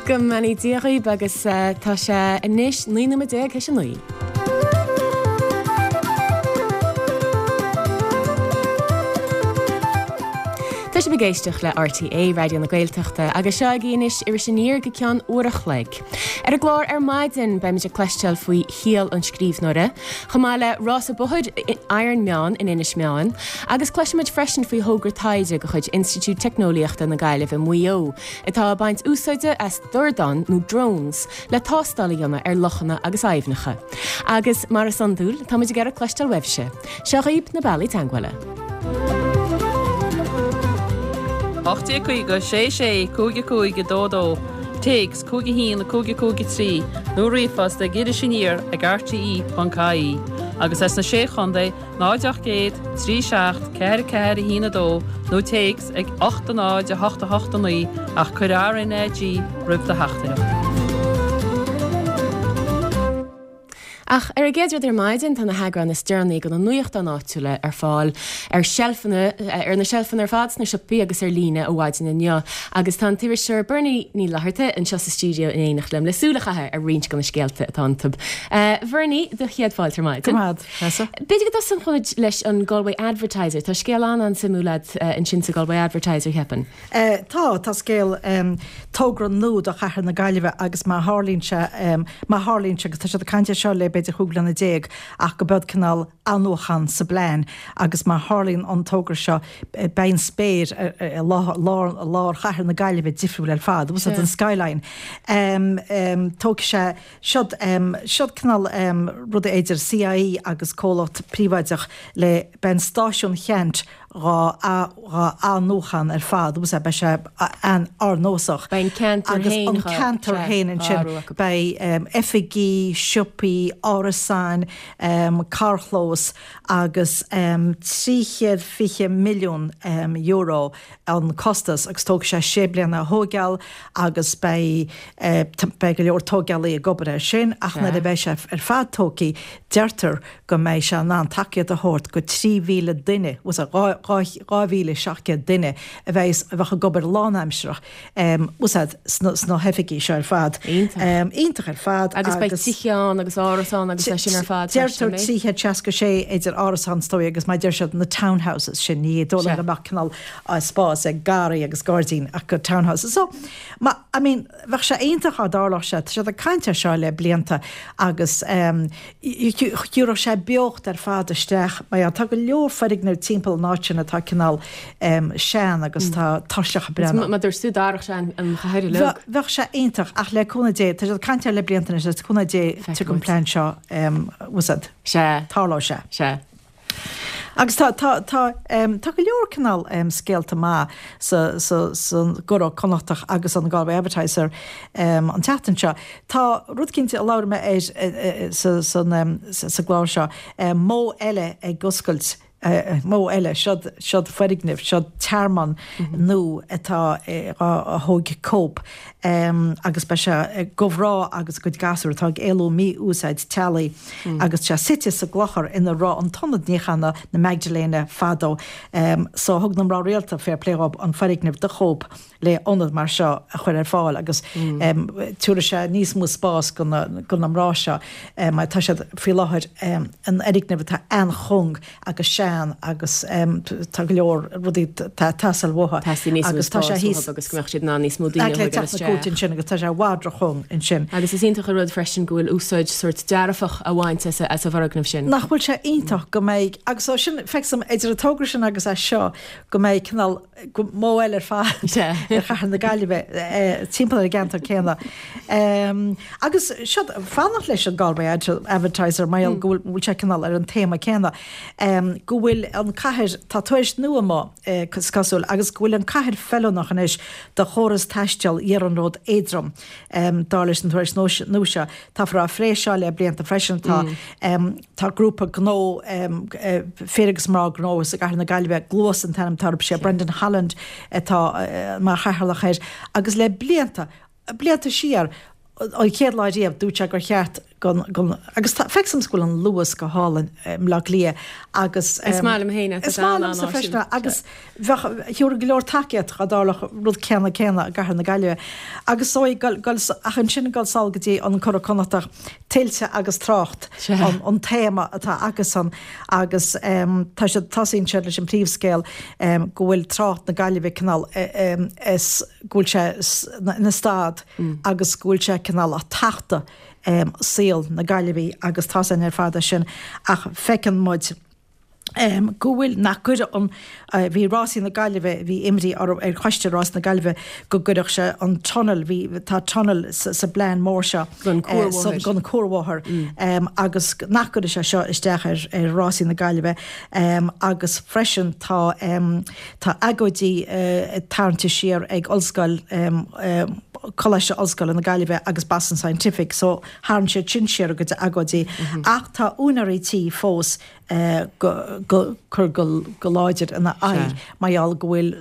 Go mbeannaí Dia dhaoibh agus tá sé anois 19 nóiméad théis a 9. Tá sibh ag éisteacht le RTÉ Raidió na Gaeltachta agus seo agaibh anois Iris Aniar go ceann uair a chloig. Ar an gclár ar maidin beimid ag cloisteáil faoi shaol an scríbhneora, chomh maith le rása bóthair Ironman in Inis Meáin, agus cloisfimid freisin faoi thogra taighde de chuid Institiúid Teicneolaíochta na Gaillimhe Maigh Eo, atá ag baint úsáide as dordáin nó drones le tástáil a dhéanamh ar lochanna agus aibhneacha. Agus, mar is iondúil, táimid ag iarraidh cloisteáil uaibhse. Seo dhaoibh na bealaí teagmhála. 1850 6 6 5 5 2 2, Téacs 5 1 5 5 3 nó ríomhphost ag irisaniar ag rte.ie agus as na Sé Chontae 0 800 3 7 4 4 1 2 nó téacs ag 8 0 8 8 9 ach cuir RnaG roimh do theachtaireacht. Ach ar an gcéad rud ar maidin, tá na heagráin is deireanaí de na nuachtáin áitiúla ar fáil ar seilfeanna, ar na seilfeanna ar fad sna siopaí agus ar líne ó mhaidin inniu. Agus tá an t-iriseoir Bernie Ní Fhlatharta anseo sa stiúideo in éineacht liom le súil a chaitheamh ar roinnt de na scéalta atá iontu. Bernie, do chéad fáilte ar maidin. Go raibh maith agat. B'fhéidir go dtosódh muid leis an Galway Advertiser. Tá scéal an-an-suimiúil agat ansin sa Galway Advertiser, cheapfainn. Tá, tá scéal, togra nua do chathair na Gaillimhe agus má tharlaíonn sé, má tharlaíonn sé, agus tá siad ag caint air seo le b'fhéidir 15 bliana ach go bead cineál athnuachan sa bplean agus má tharlaíonn an togra seo beidh an spéir i lár, lár chathair na Gaillimhe difriúil ar fad, bhfuil a fhios agat an skyline. Tógfaidh sé Seod, seod cineál rud idir CIÉ agus comhlacht príobháideach le beidh an stáisiún Cheannt dhá dhá athnuachan ar fad agus beidh sé an-ardnósach. Beidh an ceantar Agus féin an dhá, ceantar sea, féin dhá ansin athrú acu. beidh oifigí, siopaí, árasáin, carrchlós agus €320 milliún an costas agus tógfaidh sé sé bliana a thóigeáil agus beidh beidh go leor tóigeálaí ag obair air sin ach nuair a bheidh sé ar fad tógtha deirtear go mbeidh sé in ann tacaíocht a thabhairt go 3,000 duine, 2,700 duine a bheidh a bheadh ag obair lánaimsearach bhfuil a fhios agat sna hoifigí seo ar fad. Iontach. Iontach ar fad agus. Agus beidh tithe ann agus árasáin agus é sin ar fad freisin, Deirtear an mbeidh? 366 idir árasáin is dóigh agus mar a deir siad na townhouses sin, ní dóigh liom go mbeadh cineál spás ag garraí agus gairdín ach go townhouses. So, ma, I mean, bheadh sé iontach dá dtarlódh sé, tá siad ag caint air seo le blianta agus thabharfadh sé beocht ar fad isteach mar gheall, tá go leor foirgneamh timpeall an áit sin atá cineál sean agus tá tuirseach ag breathnú. Mar dúirt tú, d'athródh sé an chathair uilig. Bheadh sé iontach ach le cúnamh Dé, tá siad ag caint air le blianta anois, le cúnamh Dé tiocfaidh an plean seo, bhfuil a fhios agat, tarlóidh sé. Sea. Agus tá, tá, tá, tá go leor cineál scéalta maith sa, sa, san gCuradh Connachtach agus an Galway Advertiser an tseachtain seo. Tá rud cinnte a labhair mé air sa, san, sa gclár seo, modh eile ag oscailt, modh eile, seod, seod foirgneamh, seod tearmann nua atá á thóig Cope. agus beidh sé do mhná agus a gcuid gasúr atá ag éalú mí-úsáid teaghlaigh agus tá sé suite sa gclochar ina raibh an t-ionad níochána na Magdalene fadó. So thug na mná rialta fair play dhób an foirgneamh do Cope le ionad mar seo a chur ar fáil agus tabharfaidh sé níos mó spás do na mná seo mar tá siad faoi láthair in fhoirgneamh atá an-chúng agus sean agus tá go leor rudaí ag teastáil uathu. Teastaíonn níos mó Agus tá sé spáis thíos uathu agus go mbeadh siad in ann níos mó daoine a le thógáil teacht na cúirte isteach. ansin agus tá sé i bhfad róchúng ansin. Agus is iontach an rud freisin go bhfuil úsáid sórt dearfach á bhaint as an bhfoirgneamh sin. Nach bhfuil sé iontach go mbeidh, agus ó sin, feicim idir an togra sin agus é seo, go mbeidh cineál, modh eile ar fad ar chathair na Gaillimhe timpeall ar an gceantar céanna. Agus seo, fanacht leis an Galway Advertiser mar gheall go bhfuil sé cineál ar an téama céanna, go bhfuil an cathair, tá tuairisc nua amuigh is cosúil, agus go bhfuil an cathair feiliúnach anois do chóras taistil iarnród éadrom, dar leis an tuairisc nua seo. Táthar á phlé seo le blianta freisin. Tá. Tá grúpa gnó, fir agus mná gnó sa gcathair na Gaillimhe, Gluas an t-ainm atá orthu, sé Brendan Holland atá mar chathaoirleach air agus le blianta, blianta siar, an chéad lá riamh, dúirt sé gur cheart go. gon, gon, agus tá, feictear domsa go bhfuil an Luas go hálainn i mBleá Cliath agus. Is maith liom féin é, tá Is maith liomsa freisin é agus bheadh, thiúrfaidh go leor tacaíocht dá dtarlódh rud céanna céanna i gcathair na Gaillimhe. Agus so ag gol, ach ansin ag dul sall go dtí an Curadh Connachtach, tuilte agus trácht an, an téama atá acusan agus tá siad, tosaíonn siad leis an príomhscéal go bhfuil trácht na Gaillimhe cineál is, go bhfuil sé ina stad agus go bhfuil sé cineál ag tachtadh saol na Gaillimhí agus tá's againn ar fad é sin ach feiceann muid go bhfuil, nach gcuireadh an, bhí Rásaí na Gaillimhe, bhí imní orthu ar choiste Rásaí na Gaillimhe go gcuirfeadh sé an tunnel, bhí, tá tunnel sa bplean mór seo Don cuarbhóthar. don cuarbhóthar agus nach gcuirfeadh sé seo isteach ar ar Rásaí na Gaillimhe agus freisin tá Tá agóidí tarraingthe siar ag Ollscoil, Coláiste Ollscoile na Gaillimhe agus Boston Scientific so tharraing siad sin siar a gcuid agóidí ach tá úinéirí tí fós go cur go láidir ina aghaidh mar gheall go bhfuil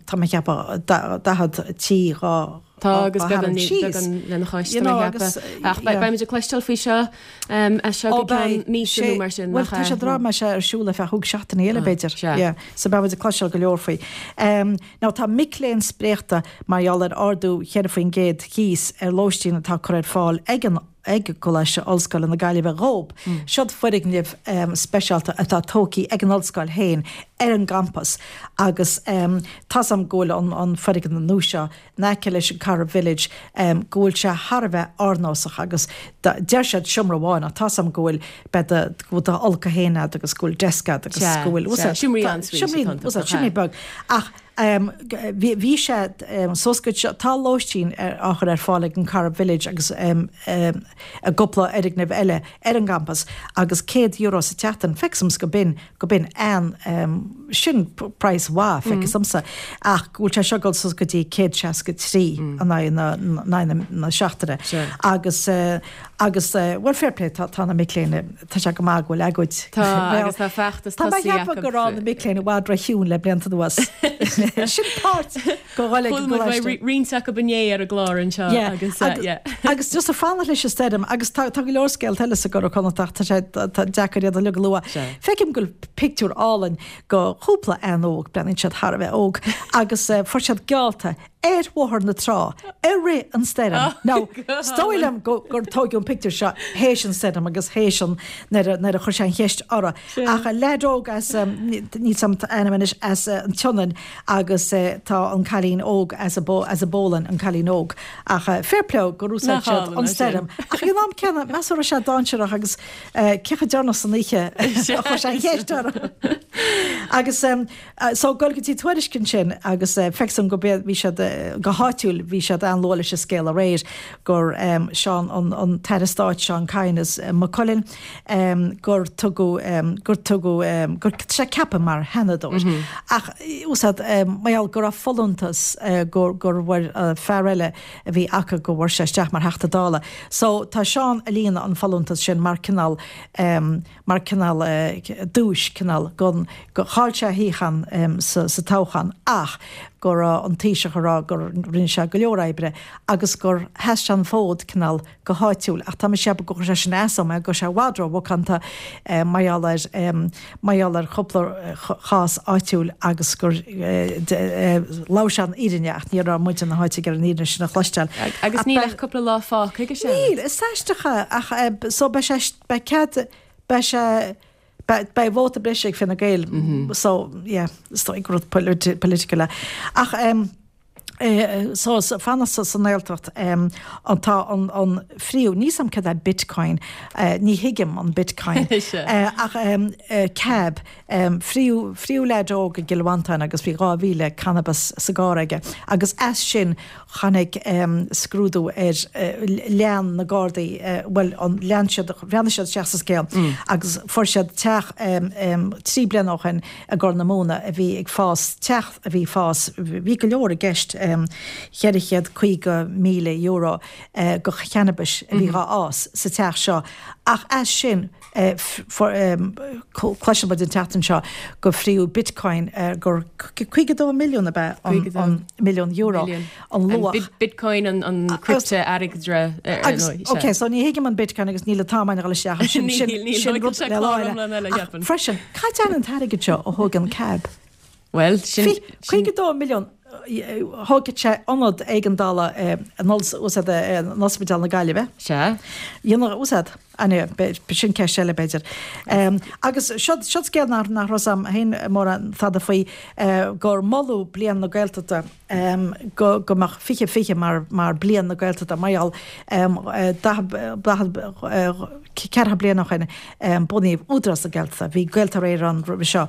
tá mé ag ceapadh 40 tí dhá Tá agus beagán beagán lena chois tá mé ag ceapadh. Ach beimid ag cloisteáil faoi seo as seo go ceann míosa nó mar sin, nach ea? Bhuel, tá sé ag rá go mbeidh sé ar siúl ar feadh chúig seachtainí eile, b'fhéidir. Yeah. So beimid ag cloisteáil go leor faoi. Now tá mic léinn spréachta mar gheall ar ardú 4% cíos ar lóistín atá curtha ar fáil ag an ag Coláiste Ollscoile na Gaillimhe dhób. Siod foirgnimh speisialta atá tógtha ag an ollscoil féin ar an gcampas agus tá's a'm go bhfuil an foirgneamh nua seo in aice leis an Corrib Village go bhfuil sé thar a bheith árnósach agus deir siad seomra amháin ach tá's a'm go bhfuil beidh do go bhfuil d'fholcadh féin a'd agus go bhfuil desk a'd agus go bhfuil seomraí en-suite seomraí beag ach Bhí sé suas go tá lóistín á chur ar fáil ag an Corrib Village agus i gcúpla fhoirgneamh eile ar an gcampas agus €100 sa tseachtain, feictear domsa go b'in, go b'in an, sin praghas mhaith, feictear domsa, ach go bhfuil sé seo ag dul suas go dtí 163 in aghaidh na, in aghaidh na seachtaine. Agus, agus, bhuel fair play, tá na mic léinn, Tá sé go maith go bhfuil agóid. Tá, agus tá feachtas tosaithe acu. Tá mé ag ceapadh go raibh na mic léinn i bhfad ró-chiúin le blianta anuas. Sin páirt de dhul ag an gcoláiste. Chuala muid roinnt acu inné ar an gclár anseo agus yeah. Agus just ag fanacht leis an stoirm agus tá go leor scéalta eile sa gCuradh Connachtach, tá sé deacair iad uilig a lua. Feicim go bhfuil pictiúr álainn de chúpla bhean óg, breathnaíonn siad thar a bheith óg, agus fuair siad geallta ar Bhóthar na Trá i rith an stoirm. Now, is dóigh liom gur tóigeadh an pictiúr seo théis an stoirm agus théis an, nuair a, nuair a chuir sé an cheist orthu. Ach leaid óg as, níl 's a'm a ainm anois, as an tSionainn agus tá an cailín óg as an, as an bPólainn, an cailín óg. Ach fair play gur úsáid siad an stoirm. Ach ag an am céanna, meas tú raibh sé dainséarach agus cé chomh deireanach san oíche a chuir sé an cheist orthu. Agus. So, ag dul go dtí Tuairisc ansin agus feictear dom go b'é, bhí siad, go háitiúil, bhí siad an-luath leis an scéal aréir gur Seán, an tAire Stáit Seán Kyne as Maigh Cuilinn, gur tugadh, gur tugadh, gur, tá sé ceaptha mar Sheanadóir. Ach, úsáid, mar gheall go raibh folúntas, gur, gur bhfuair fear eile a bhí acu go bhfuair sé isteach mar Theachta Dála. So, tá Seán ag líonadh an folúntas sin mar cineál, mar cineál duais, cineál gon, go, chaill sé a shuíochán sa, sa toghchán ach go raibh an Taoiseach ag rá gur rinne sé go leor oibre agus gur sheas sé an fód cineál go háitiúil ach tá mise ag ceapadh gur chuir sé sin as dó mar go raibh sé i bhfad ró-mhacánta mar gheall ar, mar gheall ar chúpla chás áitiúil agus gur labhair sé an fhírinne ach ní raibh muid ina háit ag iarraidh an fhírinne sin a chloisteáil. Agus níl ach cúpla lá fágtha aige sin. Níl, is aisteach é ach so beidh sé Beidh cead, beidh sé, beidh, beidh vóta breise ag Fine Gael so yeah, is dóigh gur rud political é. Ach em eh so fanacht sa sa nGaeltacht em an tá an an phríomh, níl 's a'm cad é Bitcoin, eh ní thuigim an Bitcoin eh ach em eh cab em fríodh fríodh leaid óg i gCill Mhantáin agus bhí 2,000 cannabas sa gcarr aige agus as sin Tháinig scrúdú ar, lean na Gardaí, bhuel, lean siad, bhreathnaigh siad isteach sa scéal agus fuair siad teach 3 bliana ó shin i gCorr na Móna a bhí ag fás, teach a bhí ag fás, bhí go leor i gceist, €450,000 de channabis a bhí dhá fhás sa teach seo ach as sin. Cloiseann muid an tseachtain seo gur fríodh Bitcoin gur 52 milliún ab ea an milliún euro an luach. Bitcoin an criptea-airgeadra ar ndóigh. Ok, so ní thuigim an Bitcoin agus níl an t-am againn a dhul isteach ansin. Sin rud le lá eile. Ach freisin, cad é an t-airgead seo a thóg an cab? Bhuel, sin. 52 milliún, thógfadh sé ionad éigeandála in Ospidéal na Gaillimhe. Sea. Dhéanfadh úsáid, anyway, sin ceist eile b'fhéidir. Agus seo scéal nach raibh fhios a'm féin mórán fada faoi, gur moladh Bliain na Gaeltachta, go mbeadh 2020 mar Bliain na Gaeltachta mar gheall 44 bliain ó shin bunaíodh Údarás na Gaeltachta, bhí Gaeltarra Éireann ann roimhe seo.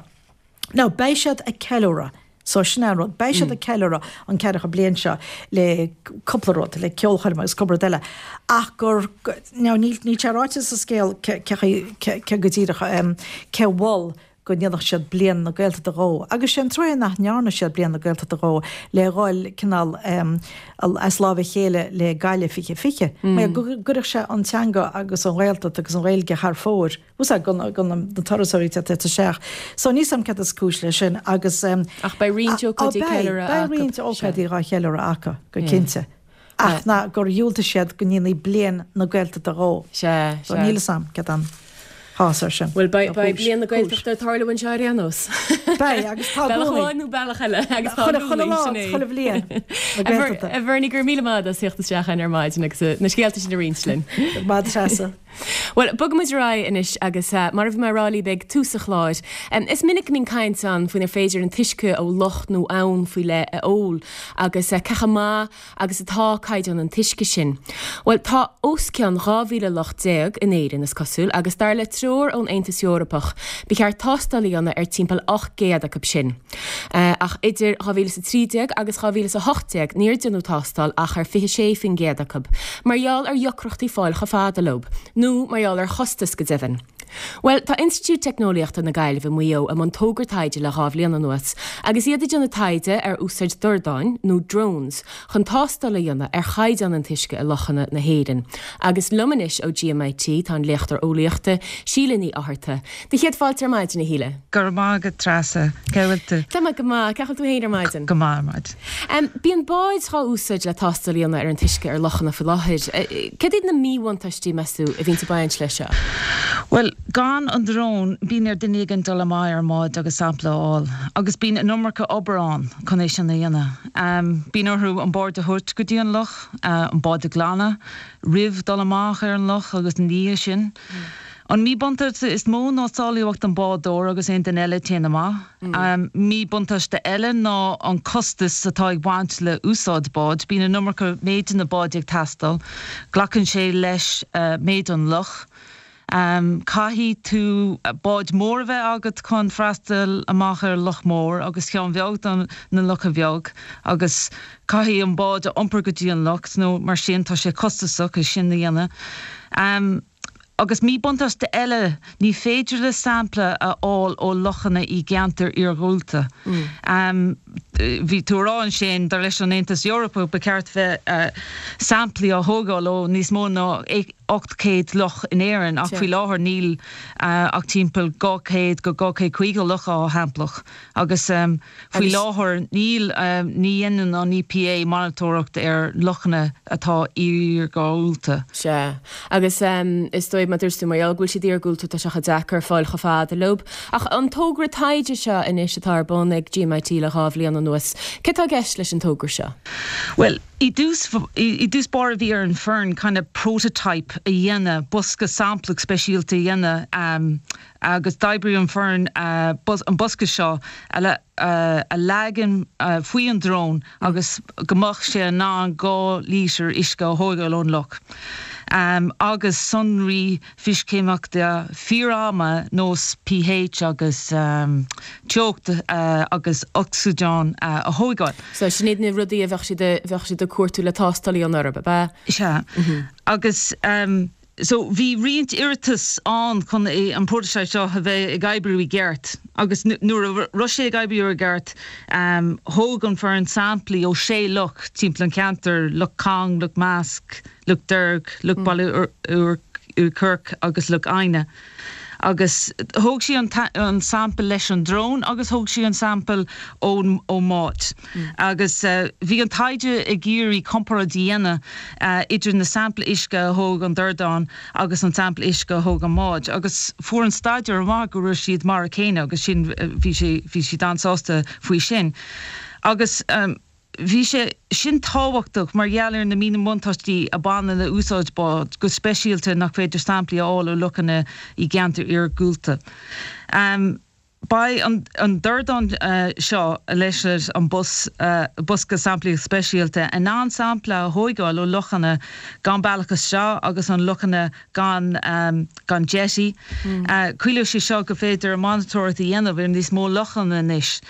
Now, beidh siad ag ceiliúradh, so sin é an rud, beidh siad ag ceiliúradh an ceathracha bliain seo le cúpla rud, le ceolchoirm agus cúpla rud eile, ach gur, now níl, níl sé ráite sa scéal cé, cé, cé go díreach, cé mhol go ndéanfadh siad Bliain na Gaeltachta dhó. Agus sé an truaighe nach ndearna siad Bliain na Gaeltachta dhó le dhul cineál as láimh a chéile le Gaillimh 2020, mar go gcuirfeadh sé an teanga agus an Ghaeltacht agus an Ghaeilge thar fóir. Úsáid do na turasóirí atá ag teacht isteach. So níl 's a'm céard is cúis leis sin agus. Ach beidh roinnt ócáidí ceiliúradh acu. Beidh roinnt ócáidí dhá cheiliúradh acu, go cinnte. Ach ná gur dhiúltaigh siad go ndéanfaí Bliain na Gaeltachta dhó. Sea, sea. So níl 'fhios a'm céard an chás air sin. Bhuel, beidh Bliain na Gaeltachta ag tarlú anseo ar aon nós. Beidh, agus tá i gcónaí. Bealach amháin nó bealach eile, agus tá i gcónaí, sin é. Chuile bhliain na Gaeltachta. A Bhernie, go raibh míle maith agat as theacht isteach ar maidin agus na scéalta sin a roinnt linn. Go raibh maith agat, a Threasa. Bhuel, bogfaimid ar aghaidh anois agus mar a bhí mé a rá libh ag tús an chláir, is minic go mbíonn caint ann faoinar féidir an t-uisce ó loch nó abhainn faoi leith a ól agus cé chomh maith agus atá caighdeán an t-uisce sin. Bhuel, tá os cionn 12,000 loch in Éirinn, is cosúil, agus dar le treoir ón Aontas Eorpach, ba cheart tástáil a dhéanamh ar timpeall 800 acu sin. Ach idir 2013 agus 2018 níor déanadh tástáil ach ar 26% acu, mar gheall ar dheacrachtaí fáil chomh fada leo, nó mar gheall ar chostas go deimhin. Bhuel, tá Institiúid Teicneolaíochta na Gaillimhe, Maigh Eo i mbun togra taighde le dhá bhliain anuas, agus iad ag déanamh taighde ar úsáid dordáin, nó drones, chun tástáil a dhéanamh ar chaighdeán an t-uisce i lochanna na hÉireann. Agus liom anois ó GMIT tá an léachtóir eolaíochta, Síle Ní Fhátharta. Do chéad fáilte ar maidin, a Shíle. Go raibh maith agat, Treasa. Cén chaoi a bhfuil tú? Tá mé go maith. Cén chaoi a bhfuil tú féin ar maidin? Go maith ar maidin. Bíonn báid dhá úsáid le tástáil a dhéanamh ar an t-uisce ar lochanna faoi láthair. Céard iad na míbhuntáistí, meas tú, a bhíonns ag baint leis seo? Bhuel, gan an drón, bíonn ar duine éigin dul amach ar an mbád agus sampla a fháil. Agus bíonn an iomarca obair ann chun é sin a dhéanamh. Bíonn orthu an bád a thabhairt go dtí an loch, an bád a ghlanadh roimh dul amach ar an loch agus ina dhiaidh sin. An míbhuntáiste is mó ná sábháilteacht an bádóir agus aon duine eile a téann amach. Míbhuntáiste eile ná an costas atá ag baint le úsáid báid. Bíonn an iomarca méideanna báid ag teastáil. Glacann sé leis méid an loch. Caithfidh tú bád mór a bheith agat chun freastal amach ar loch mór agus ceann bheag do na locha bheag agus caithfidh an bád a iompar go dtí an loch nó mar sin tá sé costasach é sin a dhéanamh. Agus míbhuntáiste eile, ní féidir le sampla a fháil ó lochanna i gceantair iargúlta. Bhí tú a rá ansin, dar leis an Aontas Eorpach, ba cheart bheith samplaí á thógáil ó níos mó ná 800 loch in Éirinn, ach faoi láthair níl ach timpeall 200 go 250 loch á shamplach. Agus. Faoi láthair níl, ní dhéanann an EPA monatóireacht ar lochanna atá iargúlta. Sea. Agus is dóigh, mar a dúirt tú, mar gheall go bhfuil siad iargúlta tá sé chomh deacair fáil chomh fada leo. Ach an togra taighde seo anois atá ar bun ag GMIT le dhá bhliain anuas, céard atá i gceist leis an togra seo? Bhuel, i dtús, i dtús báire bhí ar an foireann kind of prototype a dhéanamh, bosca samplach speisialta a dhéanamh, agus d'oibrigh an foireann an bosca seo a leagan faoi an drón agus go mbeadh sé in ann 2 lítear uisce a thógáil ón loch agus sonraí fisiceimiceachta fíor-ama nós pH agus teocht agus ocsaigin a thógáil. So sin iad na rudaí a bheadh siad a bheadh siad ag cuartú le tástáil a dhéanamh orthu, ab ea? Sea. Agus. So, bhí roinnt iarratas ann chun é, an prototype seo, a bheith ag oibriú i gceart agus nuair a raibh sé ag oibriú i gceart, thóg an foireann samplaí ó sé loch timpeall an cheantair, Loch Cong, Loch Measc, Loch Deirg, Loch Baile Uí Chuirc agus Loch Adhna. Agus thóg sí an sample leis an drón agus thóg sí an sample ón mbád. Agus bhí an taighde ag iarraidh comparáid a dhéanamh idir na sampla uisce a thóg an dordán agus an sampla uisce a thóg an mbád. Agus fuair an staidéar amach go raibh siad mar a chéile agus sin bhí sé bhí siad an-sásta faoi sin. Agus. Bhí sé sin tábhachtach mar gheall ar na míbhuntáistí a bhaineann le úsáid bád, go speisialta nach féidir samplaí a fháil ó lochanna i gceantair iargúlta. Beidh an dordán seo leis an bosca samplaíochta speisialta in ann sampla a thóigeáil ó lochanna gan bealach isteach agus an lochanna gan gan jetty. Ciallóidh sé seo go féidir monatóireacht a dhéanamh ar níos mó lochanna anois.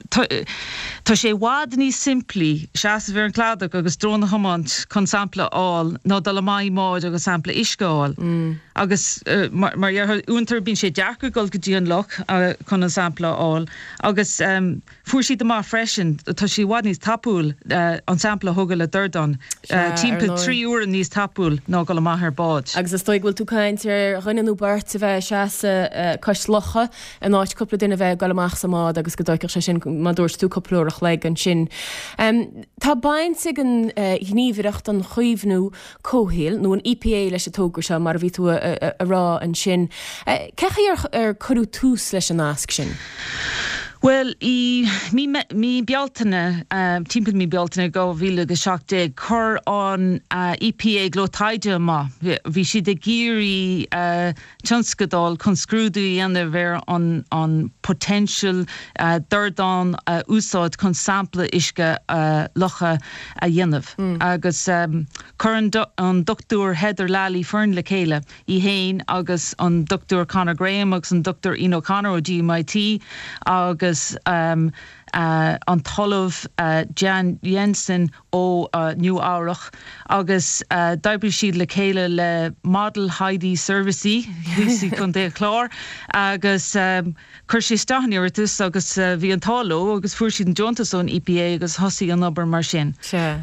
Tá sé i bhfad níos simplí seasamh ar an cladach agus drón a thiomáint chun sampla a fháil ná dul amach i mbád agus sampla uisce a fháil. Agus mar a déarfá, uaireanta bíonn sé deacair dul go dtí an loch chun an sampla a fháil. Agus fuair siad amach freisin, tá sé i bhfad níos tapúil an sampla a thógáil le dordán, timpeall 3 uaire níos tapúil ná dul amach ar bád. Agus is dóigh go bhfuil tú ag caint ar dhuine nó beirt a bheith ag seasamh cois locha in áit cúpla duine a bheith ag dul amach sa mbád agus go dtóigfeadh sé sin, mar a dúirt tú, cúpla uair a chloig ansin. Tá baint ag an Ghníomhaireacht don Chaomhnú Comhshaoil, nó an EPA leis an togra seo, mar a bhí tú a rá ansin. Cén chaoi ar cuireadh tús leis an nasc sin? Bhuel, i mí Bealtaine, timpeall mí Bealtaine 2017, chuir an EPA glao taighde amach. Bhí siad ag iarraidh tionscadal chun scrúdú a dhéanamh ar an potential dordán a úsáid chun sampla uisce locha a dhéanamh agus chuir an Dr Heather Lally foireann le chéile, í féin agus an Dr Conor Graham agus an Dr Ian O'Connor ó GMIT agus an tOllamh Jan Jensen ó Nua Eabhrach agus d'oibrigh siad le chéile le Model Heidi Services thíos i gContae an Chláir agus chuir siad isteach an iarratas agus bhí an t-ádh leo agus fuair siad an deontas ón EPA agus thosaigh an obair mar sin. Sea.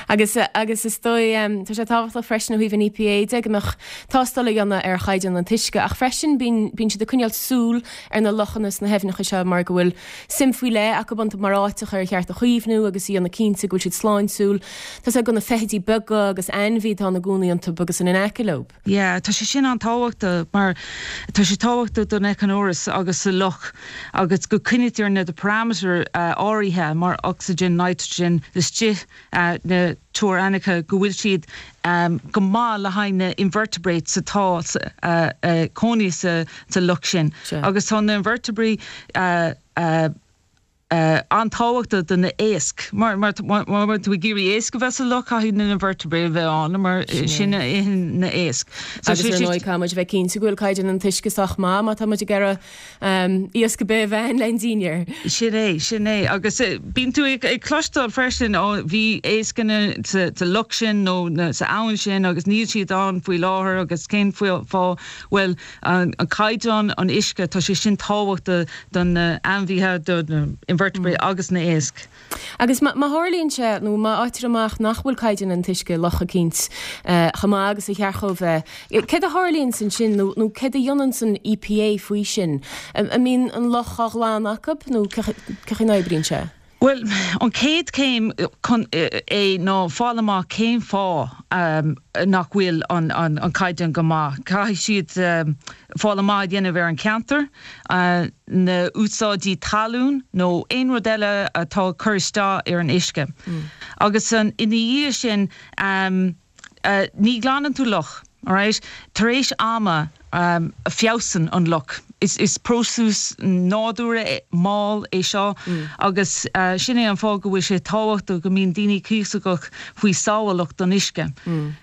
Agus, agus is dóigh, tá sé tábhachtach freisin ó thaobh an EPA de go mbeadh tástáil á dhéanamh ar chaighdeán an t-uisce ach freisin bíonn, bíonn siad ag coinneáil súil ar na lochanna is na haibhneacha seo mar go bhfuil suim faoi leith acu iontu mar áiteacha ar cheart a chaomhnú agus a dhéanamh cinnte go bhfuil siad sláintiúil. Tá a fhios agat do na feithidí beaga agus ainmhí atá ina gcónaí iontu agus in aice leo. Yeah, tá sé sin an-tábhachtach mar tá sé tábhachtach don éiceachóras agus sa loch agus go coinnítear na parameter áirithe mar oxygen, nitrogen istigh na teorainneacha go bhfuil siad go maith le haghaidh na invertebrates atá ag cónaí sa loch sin. Agus tá na invertebrates an-tábhachtach do na éisc. Mar má tá tú ag iarraidh éisc a bheith sa loch caithfidh na invertebrates a bheith ann mar sin a itheann na éisc. Agus ar ndóigh caithfidh muid a bheith cinnte go bhfuil caighdeán an t-uisce sách maith má tá muid ag iarraidh Iasc ar bith a bheith ann le dinnéar. Sin é, sin é. Agus bíonn tú ag cloisteáil freisin, ó bhí éisc sa loch sin nó sa abhainn sin agus níl siad ann faoi láthair agus cén fáth? Bhuel, an caighdeán an uisce, tá sé sin tábhachtach do na ainmhithe, do na invertebrates agus na éisc. Agus má tharlaíonn sé, nó má fhaightear amach nach bhfuil caighdeán an t-uisce i loch eicínt chomh maith agus a cheart dhó bheith, céard a tharlaíonns ansin, nó nó céard a dhéananns an EPA faoi sin? An mbíonn an loch á ghlanadh acu, nó cén chaoi a n-oibríonn sé? Bhuel, an chéad chéim chun é ná fáil amach cén fáth nach bhfuil an caighdeán go maith. Caithfidh siad fáil amach a dhéanamh ar an cheantar. na úsáidí talún nó aon rud eile atá ag cur isteach ar an uisce. Agus ina dhiaidh sin, ní ghlanann tú loch, alright? Tar éis ama, feabhsann an loch. Is próiseas nádúrtha mall é seo agus sin é an fáth go bhfuil sé tábhachtach go mbíonn daoine cuíosach faoi sábhálacht don uisce.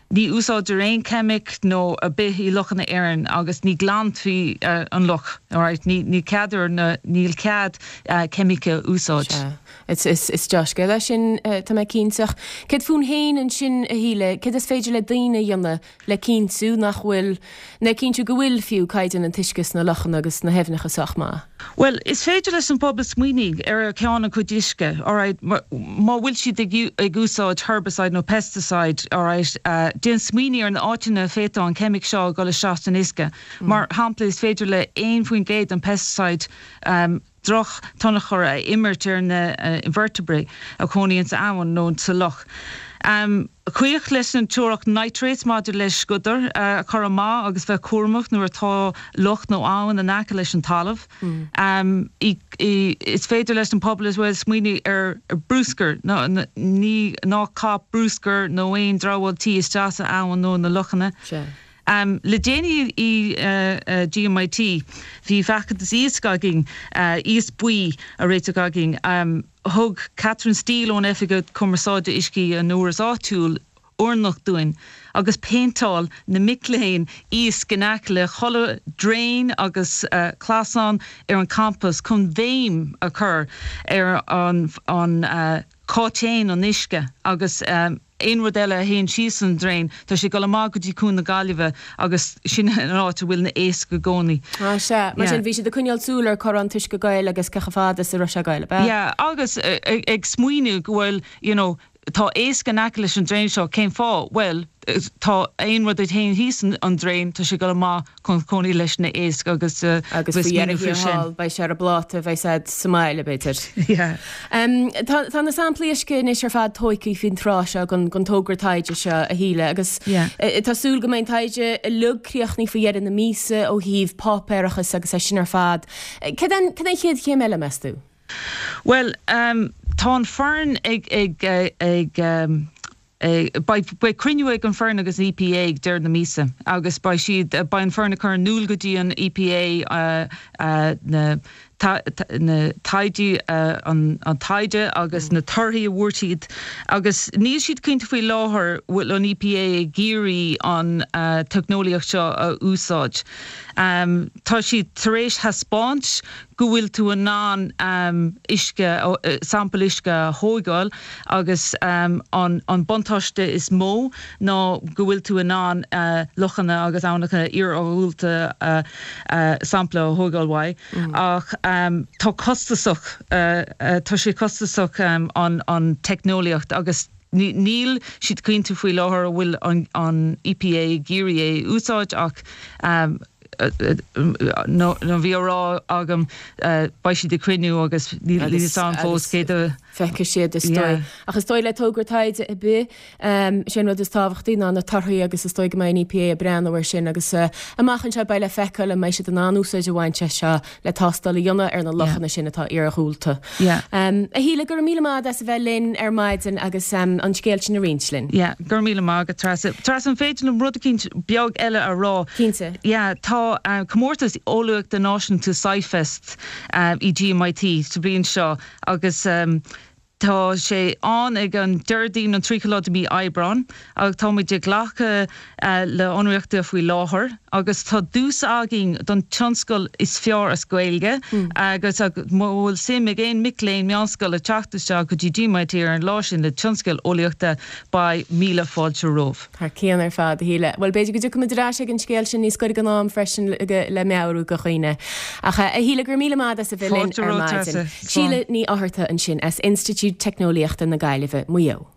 Ní úsáidtear aon cheimic nó ar bith i lochanna Éireann agus ní glanfaí an loch, alright, ní cead ar na, níl cead ceimice a úsáid. Sea. Is dea-scéal é sin, tá mé cinnte. Ach céard fúinn féin ansin, a Shíle, céard is féidir le daoine a dhéanamh le cinntiú nach bhfuil, le cinntiú go bhfuil, fiú, caighdeán an t-uisce sna lochanna agus sna haibhneacha sách maith? Bhuel, is féidir leis an bpobal smaoinigh ar cheann a gcuid uisce, alright, má bhfuil siad ag úsáid herbicide nó pesticide, alright, déan smaoinigh ar na áiteanna a bhféadfadh an ceimic seo a dhul isteach san uisce. Mar shampla, is féidir le 1% den pesticide droch-tionchar a imirt ar na invertebrates a chónaíonn sa abhainn nó sa loch. Cuidigh leis an teoiric nitrates maidir le sciodair a chur amach agus bheith cúramach nuair atá loch nó abhainn in aice leis an talamh. Is féidir leis an pobal as well smaoinigh ar bruscar, ní ná caith bruscar nó aon dramhaíl tí isteach sa abhainn nó na lochanna. Le déanaí i GMIT bhí feachtas iasc againn, iasc buí a réiteach againn. Thug Catherine Steele ón Oifig Cumarsáide Uiscí an Údaráis Áitiúil urnach dúinn agus phéinteáil na mic léinn iasc in aice le chuile draein agus clasán ar an campas chun béim a chur ar an cá dtéann an uisce agus aon rud eile a théann síos an draein, tá sé ag dul amach go dtí Cuan na Gaillimhe agus sin an áit a bhfuil na éisc i gcónaí. Ah sea, mar sin bhí siad ag coinneáil súil ar cá raibh an t-uisce ag goil agus cé chomh fada is a raibh sé ag goil, ab ea? Yeah, agus ag smaoineamh go bhfuil, you know, tá éisc in aice leis an draein seo, cén fáth? Bhuel, tá aon rud a théann thíos an draein, tá sé ag dul amach chun cónaí leis na éisc agus Agus faoi dheireadh thiar thall, beidh sé ar an bpláta a bheidh siad sa mbaile, b'fhéidir. Yeah. Tá na samplaí uisce anois ar fad tógtha faoin tráth seo den togra taighde seo, a Shíle, agus tá súil go mbeidh an taighde uilig críochnaithe faoi dheireadh na míosa ó thaobh páipéarachas agus é sin ar fad. Cad é an chéad chéim eile, meas tú? Bhuel, tá an foireann ag ag ag Beidh beidh cruinniú ag an foireann agus an EPA ag deireadh na míosa agus beidh siad beidh an foireann ag cur in iúl go dtí an EPA na na taighde an an taighde agus na torthaí a bhfuair siad agus níl siad cinnte faoi láthair bhfuil an EPA ag iarraidh an teicneolaíocht seo a úsáid. Tá siad tar éis thaispeáint go bhfuil tú in ann uisce, sampal uisce a thóigeáil agus an an buntáiste is mó ná go bhfuil tú in ann lochanna agus aibhneacha iarghúlta sampla a thóigeáil uaidh ach tá costasach, tá sé costasach an an teicneolaíocht agus níl siad cinnte faoi láthair an bhfuil an EPA ag iarraidh é a úsáid ach nó bhí á rá agam beidh siad ag cruinniú agus níl a fhios agam fós céard a. feicfidh siad is dóigh. Ach is dóigh le togra taighde ar bith, sé an rud is tábhachtaí ná na torthaí agus is dóigh go mbeidh an EPA ag breathnú air sin agus amach anseo beidh le feiceáil an mbeidh siad in ann úsáid a bhaint as seo le tástáil a dhéanamh ar na lochanna sin atá iarghúlta. A Shíle, go raibh míle maith agat as a bheith linn ar maidin agus an scéal sin a roinnt linn. Yeah, go raibh míle maith agat, Treasa. Treasa, an féidir liom rud eicínt beag eile a rá? Cinnte. Yeah, tá comórtas eolaíochta náisiúnta SciFest i GMIT sa bhliain seo agus Tá sé ann ag an Déardaoin an 30 lá de mí Aibreán agus táimid ag glacadh le hionraíochta faoi láthair agus tá duais againn don tionscal is fearr as Gaeilge agus má bhfuil suim ag aon mic léinn meánscoile teacht isteach go dtí GMIT ar an lá sin le tionscal eolaíochta beidh míle fáilte romhaibh. Thar cionn ar fad, a Shíle. Bhuel, b'fhéidir go dtiocfaimid ar ais ag an scéal sin níos gaire don am freisin le meabhrú do dhaoine. Ach, a Shíle, go raibh míle maith agat as a bheith linn Fáilte ar romhat, maidin. Treasa. Slán. Síle Ní Fhátharta ansin as Institiúid Teicneolaíochta na Gaillimhe, Maigh Eo.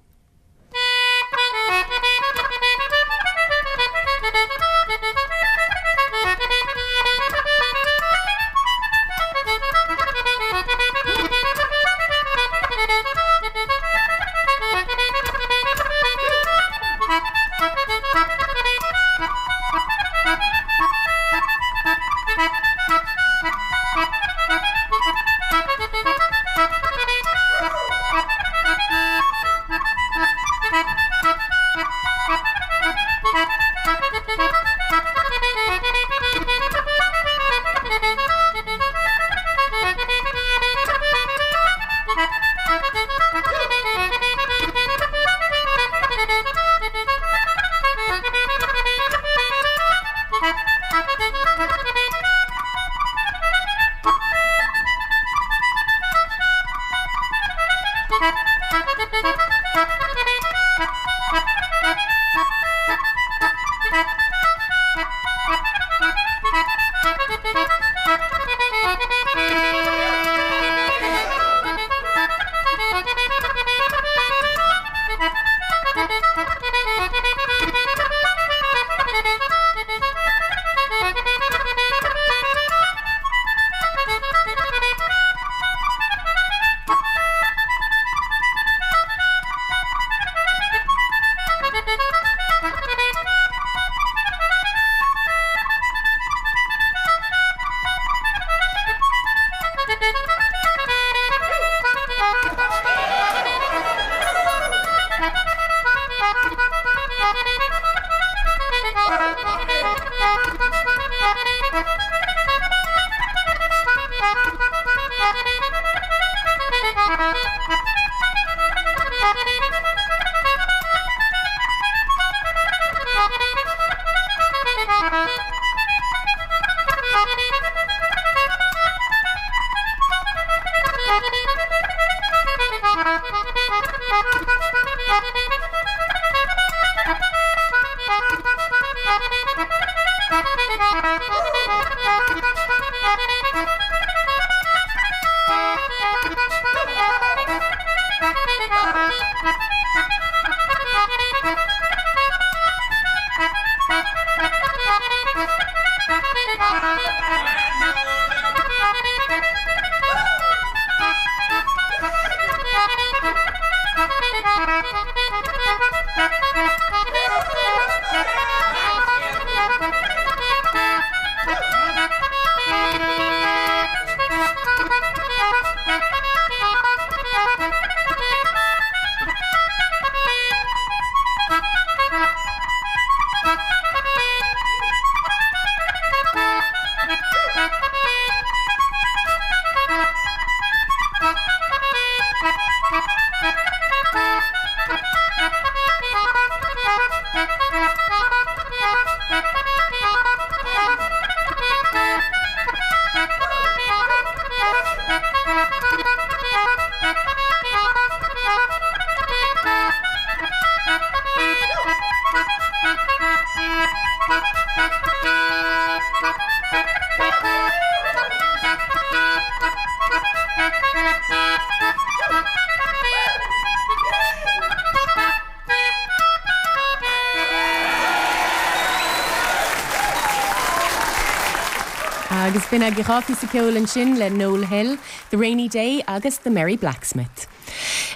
Agus b'in agaibh an dá phíosa ceoil ansin le Noel Hill, The Rainy Day agus The Merry Blacksmith.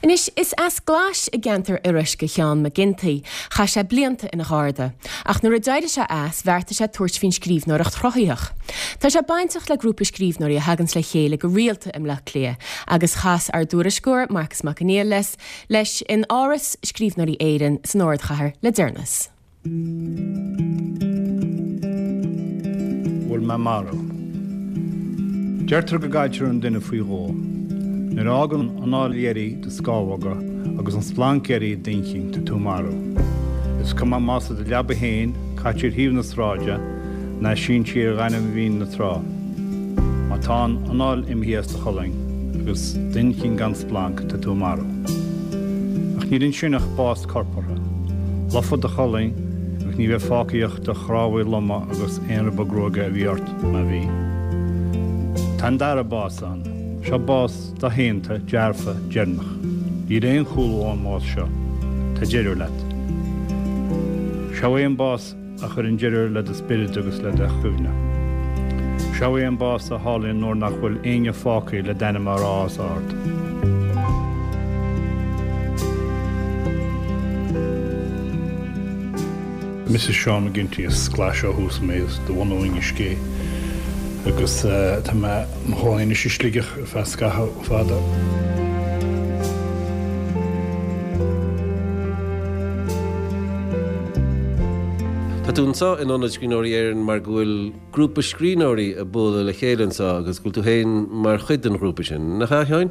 Anois, is as Glais i gceantar Iorrais do Sheán Mac Ginty. Chaith sé blianta ina gharda. Ach nuair a d'éirigh sé as, bheartaigh sé tabhairt faoin scríbhneoireacht chruthaitheach. Tá sé bainteach le grúpa scríbhneoirí a thaganns le chéile go rialta i mBleá Cliath, agus chas ár dtuairisceoir, Marcas Mac Conghail, leis in Áras Scríbhneoirí Éireann san ardchathair le deireanas. Bhfuil mé marbh? Deirtear go gcailltear an duine faoi dhó. Nuair a fhágann an anáil dheiridh do scamhóga agus an splanc dheiridh d'inchinn, tá tú marbh. Is cuma más i do leaba féin, caite ar thaobh na sráide, ná sínte ar ghaineamh mhín na trá. Má tá an anáil imithe as do cholainn agus d'inchinn gan splanc, tá tú marbh. Ach níl ansin ach bás corpartha. Lofadh do cholainn agus ní bheidh fágtha ach do chnámhaí loma agus aon ribe gruaige a bhí ort, má bhí. Tá an dara bás ann. Seo bás doshéanta, dearfa, deireanach. Níl aon chúlú ón mbás seo. Tá deireadh leat. Seo é an bás a chuireann deireadh le do spiorad agus le do chuimhne. Seo é an bás a tharlaíonn nuair nach bhfuil éinne fágtha le d'ainm a rá os ard. Mise Seán McGinty, as Glais ó thús mé, as de bhunadh Inis Gé agus tá mé i mo chónaí anois i Sligeach ar feadh scaitheamh fada. Tá tú anseo in Ionad Scríbhneoirí Éireann mar go bhfuil grúpa scríbhneoirí ag bualadh le chéile anseo agus go bhfuil tú féin mar chuid den ghrúpa sin, nach ea, a Sheáin?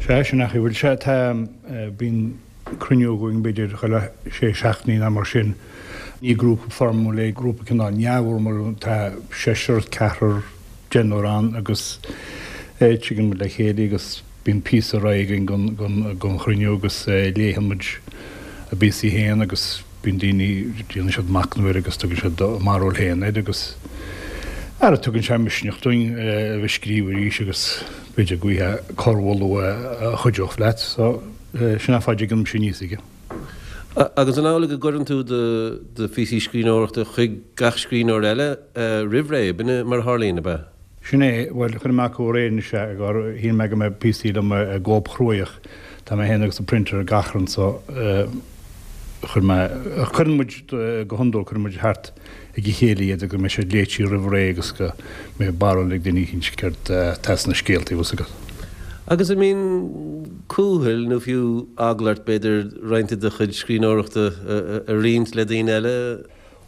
Sea, sin é an chaoi a bhfuil sé. Tá, bíonn cruinniú againn b'fhéidir chuile sé seachtainí nó mar sin. Ní grúpa foirmiúil é, grúpa cineál neamhfhoirmiúil, tá seisear, ceathrar, deichniúr ann agus tigeann muid le chéile agus bíonn píosa ar aghaidh againn don chruinniú agus léigheann muid a bpíosaí féin agus bíonn daoine, déanann siad machnamh air agus tugann siad a mbarúil féin air agus ara tugann sé misneach dúinn a bheith ag scríobh arís agus b'fhéidir go bhfaighfeá corrmholadh a chuideodh leat so sin an fáth a dtigeann mise aníos aige. Agus an amhlaidh go gcuireann tú do phíosaí scríbhneoireachta chuig gach scríbhneoir eile roimh ré, b'in é mar a tharlaíonn, ab ea? Sin é, bhuel, chuir mé acu aréir anois é, gur shíl mé go mbeadh píosaí liom i gcóip chruaidh. Tá mé féin agus an printer ag achrann so chuir mé, cuireann muid go hiondúil, cuireann muid thart ag a chéile iad go mbeidh siad léite roimh ré agus go mbeidh barúil ag duine eicínt céard atá sna scéaltaí, bhfuil 's agat. Agus an mbíonn cúthail nó fiú eagla ort, b'fhéidir, roinnt de do chuid scríbhneoireachta a roinnt le daoine eile?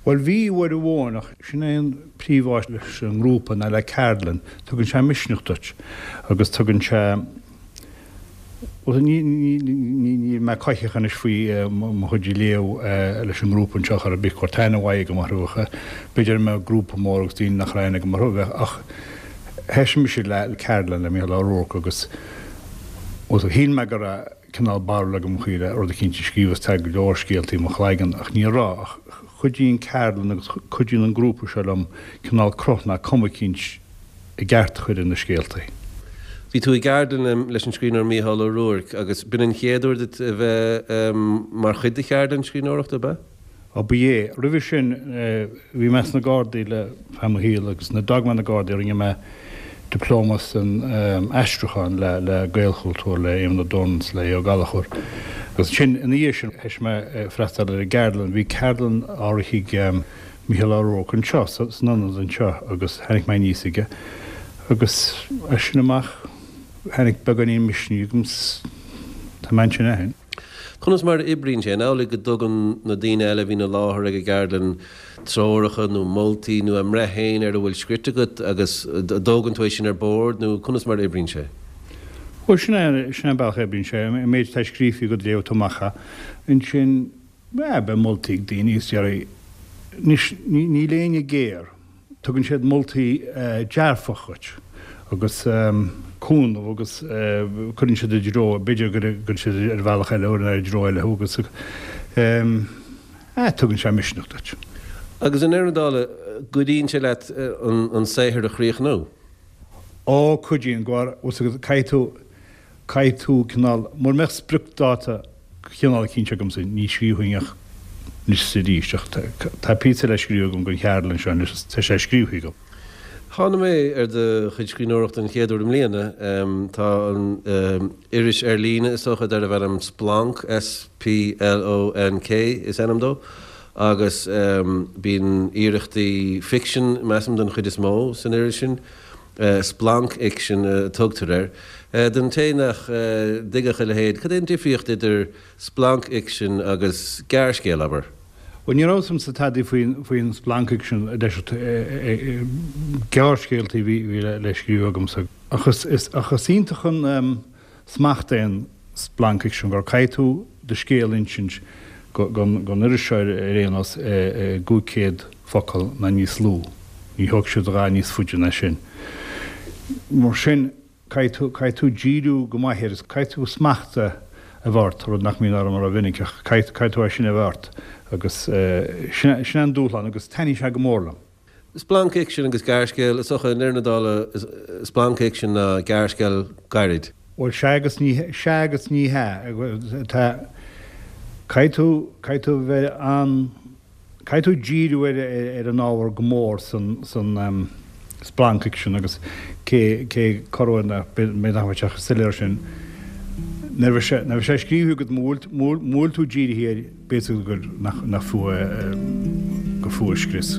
Bhuel, bhí uair amháin, ach sin é an príomhfháth leis an ngrúpa ná le ceardlann, tugann sé misneach duit agus tugann sé, Bhuel, níl mé coimhthíoch anois faoi mo chuid a léamh leis an ngrúpa anseo chor ar bith, go raibh aithne mhaith agam orthu ach b'fhéidir dá mbeadh grúpa mór agus daoine nach raibh aithne agam orthu, bheadh, ach thoisigh mise le ceardlann le Mícheál Ó Ruairc agus bhuel, shíl mé go raibh cineál barúil agam faoi le rud eicínt a scríobh agus tá go leor scéaltaí i mo chloigeann ach ní raibh ach cuidíonn ceardlann agus cuidíonn an grúpa seo liom cineál cruth ná cuma eicínt i gceart a chur ar na scéaltaí. Bhí tú i gceardlann leis an scríbhneoir Mícheál Ó Ruairc agus b'in an chéad uair duit a bheith mar chuid de cheardlann scríbhneoireachta, ab ea? Ó ba ea. Roimhe sin bhí mé sna Gardaí le feadh mo shaoil agus nuair a d'fhág mé na Gardaí rinne mé dioplóma san aistriúchán le le Gaelchultúr le Éamonn Ó Dórna is le Aodh Ó Gallchóir. Agus ansin ina dhiaidh sin thoisigh mé ag freastal ar an gceardlann. Bhí ceardlann á rith ag Mícheál Ó Ruairc anseo san ionad anseo agus tháinig mé aníos aige agus as sin amach tháinig beagáinín misnigh agam 's tá mé ansin ó shin. Conas mar a oibríonn sé? An amhlaidh go dtugann na daoine eile a bhíonn i láthair ag an gceardlann treoracha nó moltaí nó a mbreith féin ar a bhfuil scrite agat agus an dtógann tú é sin ar bord nó conas mar a oibríonn sé? Bhuel, sin é, sin é an bealach a oibríonn sé. An méid atá scríofa agat léifidh tú amach é. Ansin, beidh moltaí ag daoine is déarfaidh, anois, níl éinne géar. Tugann siad moltaí dearfach dhuit agus cúnamh agus cuireann siad i dtreo, b'fhéidir go gcuireann siad ar bhealach eile nó i dtreo eile thú agus tugann sé misneach duit. Agus i ndeireadh na dála, cuidíonn sé leat an saothar a chríochnú? Ó, cuidíonn, go bhfuil caithfidh tú, caithfidh tú cineál, mura mbeadh spriocdáta cineál cinnte agamsa, ní scríobhfainn ach anois is arís, ach tá píosa le scríobh agam don cheardlann seo anois is tá sé scríofa agam. Tháinig mé ar do chuid scríbhneoireachta an chéad uair i mbliana. Tá an iris ar líne, is dócha, darbh ainm Splonk, S-P-L-O-N-K is ainm dó, agus bíonn iarrachtaí ficsin, measaim, den chuid is mó san iris sin. Splancfhicsean a tugtar air. Don té nach dtuigfeadh a leithéid, cad é an difríocht idir splancfhicsean agus gearrscéal, abair? Bhuel, ní raibh a fhios agamsa tada faoin splancfhicsean, gearrscéaltaí a bhí le scríobh agamsa. Ach is iontach an smacht é an splancfhicsean gur caithfidh tú do scéal a insint don iriseoir ar aon nós i gcúig chéad focal ná níos lú. Ní thógfaidh siad a dhath níos faide ná sin. Mar sin, caithfidh tú, caithfidh tú díriú go maith air is caithfidh tú smacht a bheith ort, rud nach mbíonn orm rómhinic ach caithfidh, caithfidh tú é sin a bheith ort agus sin, sin é an dúshlán agus taitníonn sé go mór liom. Splancfhicsean agus gearrscéal, is dócha, i ndeireadh na dála, splancfhicsean ná gearrscéal gairid. Bhuel, sea agus ní, sea agus ní hea. Tá, caithfidh tú, caithfidh tú a bheith an, caithfidh tú díriú ar, ar an ábhar go mór san, san splancfhicsean agus cé, cé corruair nach, b'fhéidir nach mbeadh sé chomh soiléir sin. Nuair a bheidh sé, nuair a bheidh sé scríofa agat, mura bhfuil, mura bhfuil tú dírithe air, B'fhéidir gur nach fiú é gur fiú a scrios.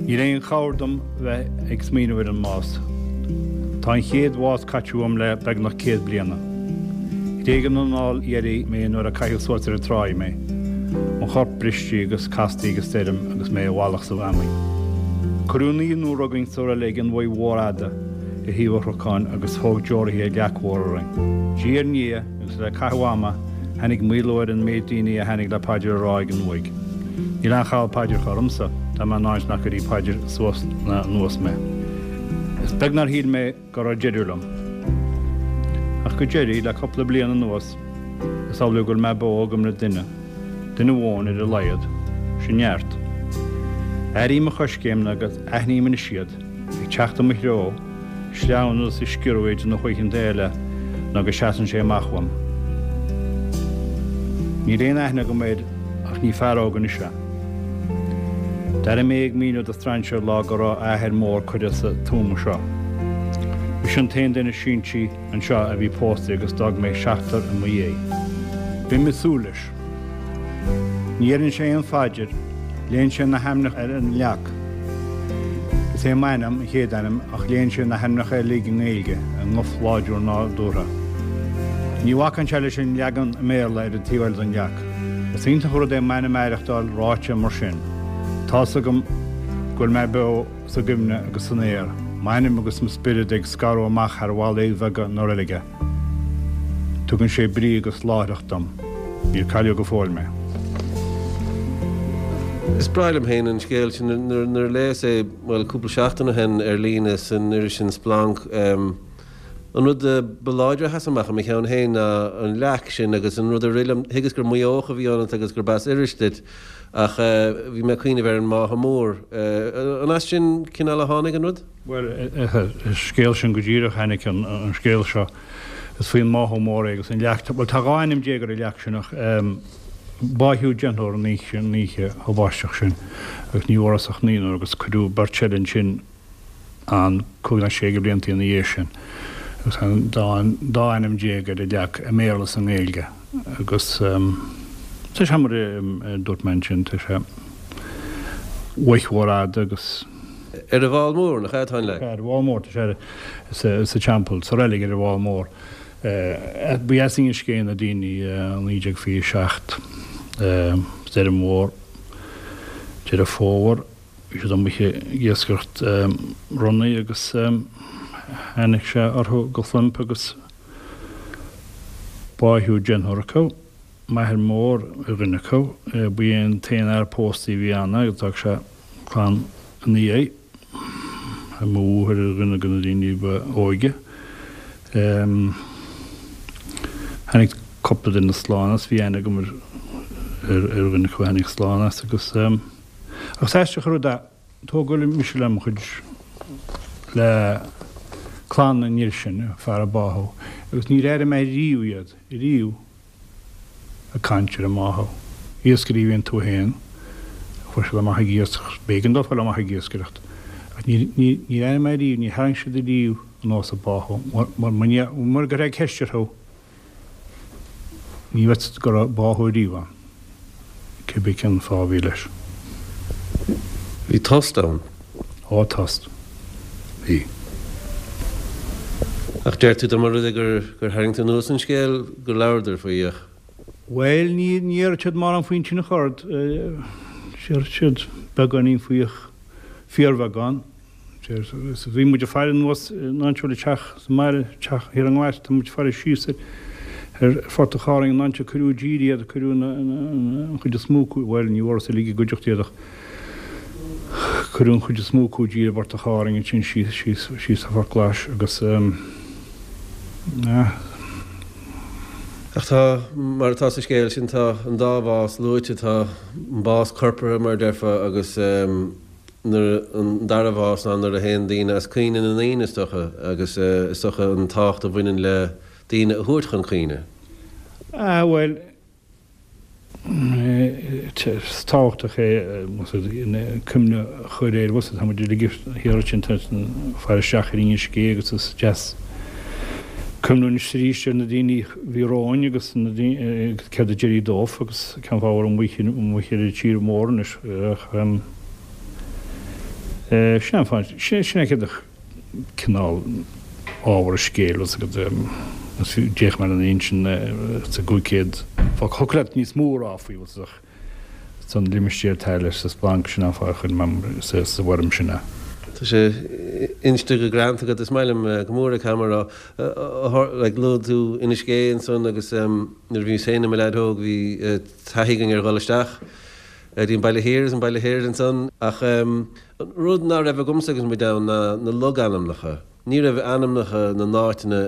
Níl aon chabhair dom bheith ag smaoineamh ar an mbás. Tá an chéad bhás caite uaim le beagnach 100 bliana. Thréig an anáil dheiridh mé nuair a caitheadh suas ar an tráigh mé, mo chorp briste agus casta ag an stoirm agus mé i bhfalach sa bhfeamainn. Cuireadh naonúr againn sa reilig an uaigh mhór fhada. ar thaobh an chnocáin agus thóg deoraithe leac mhór orainn. Diaidh ar ndiaidh, agus le caitheamh ama, tháinig maolú ar an méid daoine a tháinig le paidir a rá ag an uaigh. Níl aon chall paidreacha ormsa, tá mé in áit nach gcuirfidh paidir suas ná anuas mé. Is beag nár shíl mé go raibh deireadh liom. Ach go deiridh, le cúpla bliain anuas, is amhlaidh go bhfuil mé beo i gcuimhne duine, duine amháin ar a laghad, sin neart. Airím a choiscéimeanna agus aithním anois iad. Ag teacht i mo threo, sleamhnú is ag sciorradh idir na hoícheanta eile ná go seasann sé amach uaim. Níl aon aithne agam air ach ní fear óg anois é. D'airigh mé ag míniú do strainséir lá go raibh a athair mór curtha sa tuama seo. Mise an t-aon duine sinsí anseo a bhí pósta agus d'fhág mé seachtar i mo dhiaidh. Bím ag súil leis. Ní dheireann sé aon phaidir, léann sé na hainmneacha ar an leac. Is é m'ainm an chéad ainm ach léann sé na hainmneacha uilig i nGaeilge i nguth láidir nádúrtha. Ní bhacann sé leis an leagan i mBéarla ar an taobh eile den leac. Is iontach an rud é m'ainm a aireachtáil ráite mar sin. Tá's agam go bhfuil mé beo sa gcuimhne agus san aer, m'ainm agus mo spiorad ag scaradh amach thar bhallaí bheaga na reilige. Tugann sé brí agus láithreacht dom. Níor cailleadh go fóill mé. Is breá liom féin an scéal sin. Nuair a léas é, bhuel, cúpla seachtain ó shin ar líne san iris sin Splonk. An rud ba láidre a sheas amach i mo cheann féin ná an leac sin agus an rud a rith liom, thuigeas gur Maigh Eoch a bhí ionat agus gurb as Iorrais duit ach bhí mé ag cuimhneamh ar an mBáthadh Mór. An as sin cineál a tháinig an rud? Bhuel, an scéal sin go díreach, tháinig an scéal seo, is faoin mBáthadh Mór é agus an leac, bhuel tá 12 ainm ar an leac sin ach báitheadh deichniúr an oíche, an oíche thubaisteach sin agus ní bhfuarthas ach naonúr agus cuireadh beirt eile ansin ann cúig nó sé de bhlianta ina dhiaidh sin agus tá an dá ainm déag ar an leac i mBéarla is i nGaeilge agus tá sé mar a dúirt mé ansin, tá sé uaigh mhór fhada agus. Ar an bhFál Mór, nach ea atá an leac? Ar an bhFál Mór, tá sé sa teampall, sa reilig ar an bhFál Mór. Ba as Inis Gé na daoine i 1927, stoirm mhór, Deireadh Fómhair. Bhí siad amuigh ag iascaireacht ronnaigh agus tháinig sé orthu go phlump agus báitheadh deichniúr acu. M'athair mór ar dhuine acu. Ba é an t-aon fhear pósta a bhí ann agus d'fhág sé clann ina dhiaidh. Mo mháthair ar dhuine de na daoine ba óige. Tháinig cúpla duine slán as, bhí aithne agam ar dhuine acu a tháinig slán as agus. Ach is aisteach an rud é, tógadh mise le mo chuid, le clann an fhir sin, an fear a báitheadh, agus níor airigh mé riamh iad, riamh, ag caint ar an mbáthadh. Iascairí a bhí iontu féin, chuaigh siad amach ag iascaireacht, b'éigean dóibh dul amach ag iascaireacht, ach níor, níor, níor airigh mé riamh, níor tharraing siad riamh anuas an báthadh, mar, mar, mura gcuirfeá ceist orthu, Ní bhfeicfeá go raibh báthadh ariamh ann, cibé cén fáth a bhí leis. Bhí tost ann. Ó, tost. Bhí. Ach deir tú dá mba rud é gur tharraing tú anuas an scéal gur labhradar faoi ach. Bhuel, ní déarfadh siad mórán faoin tine chord. Déarfadh siad beagáinín faoi ach fíorbheagán. Bhí muid ag faire anuas in áit le teach sa mbaile, teach thiar i nGlais, tá muid ag faire síos ar Phortach Árainn an áit a cuireadh i dtír iad, cuireadh an chuid is mó acu, bhuel ní bhfuarthas uilig i gcuideachta iad ach cuireadh an chuid is mó acu i dtír i bPortach Árainn ansin síos, síos, síos ar Phort Glais agus eh. Ach tá, mar atá sa scéal sin, tá an dá bhás luaite, tá an bás corpartha mar a déarfá agus nuair an dara bhás ná nuair a théann daoine as cuimhne na ndaoine, is dócha, agus is dócha an tábhacht a bhaineann le daoine a thabhairt chun cuimhne. Ah, bhuel, is tábhachtach é cuimhne a chur air, bhfuil tá muid uilig thiar ansin ag faire isteach ar Inis Gé agus is deas cuimhniú anois arís ar na daoine a bhí romhainn agus na daoine, céard a d'éirigh dóibh agus cén fáth a bhfuil amuigh ar an tír mór anois ach. Sin an fáth, sin é céard cineál ábhar an scéil, bhfuil 's agat, is fiú, d'fhéach mé ar an insint sa gcúig chéad focal, thiocfadh leat níos mó a rá faoi, bhfuil 's ach san limistéar atá leis sa splanc, sin an fáth a chuir mé sa bhfoirm sin é. Tá sé inste go greanta agat, is maith liom go mór é, caithfidh mé a rá. Like, luaigh tú Inis Gé ansan agus nuair a bhíos féin i mo leaid óg bhí taithí againn ar dhul isteach Go dtí an Baile Thiar is an Baile Thoir ansan ach an rud ná raibh agamsa agus muid ann ná na logainmneacha. Ní raibh ainmneacha na n-áiteanna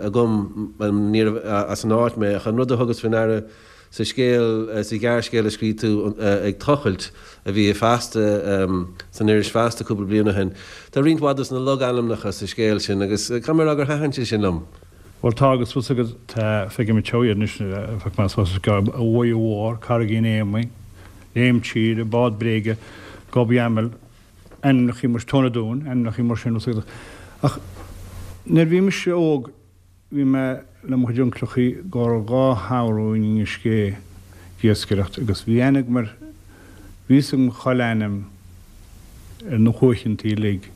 agam, níorbh as an áit mé ach an rud a thugas faoi ndeara sa scéal, sa ghearrscéal a scrígh tú Ag Tochailt a bhí i Feasta, san iris Feasta cúpla bliain ó shin, tá roinnt mhaith dos na logainmneacha sa scéal sin agus caithfidh mé a rá gur thaitin sé sin liom. Bhuel tá agus bhfuil 's agat tá feicim anseo iad anois bheadh mé sásta go an Mhuighe Mhór, Carraigín Éamaí, Léim Tíre, Bád Bréige, Gob Eamail, ainmneacha mar Tóin an Dúin, ainmneacha mar sin bhfuil 's agat. Ach nuair a bhí mise óg bhí mé le mo chuid uncleachaí go raibh dhá shamhradh in Inis Gé ag iascaireacht agus bhí aithne agam ar, bhí 'fhios agam chuile ainm ar na huaigheantaí uilig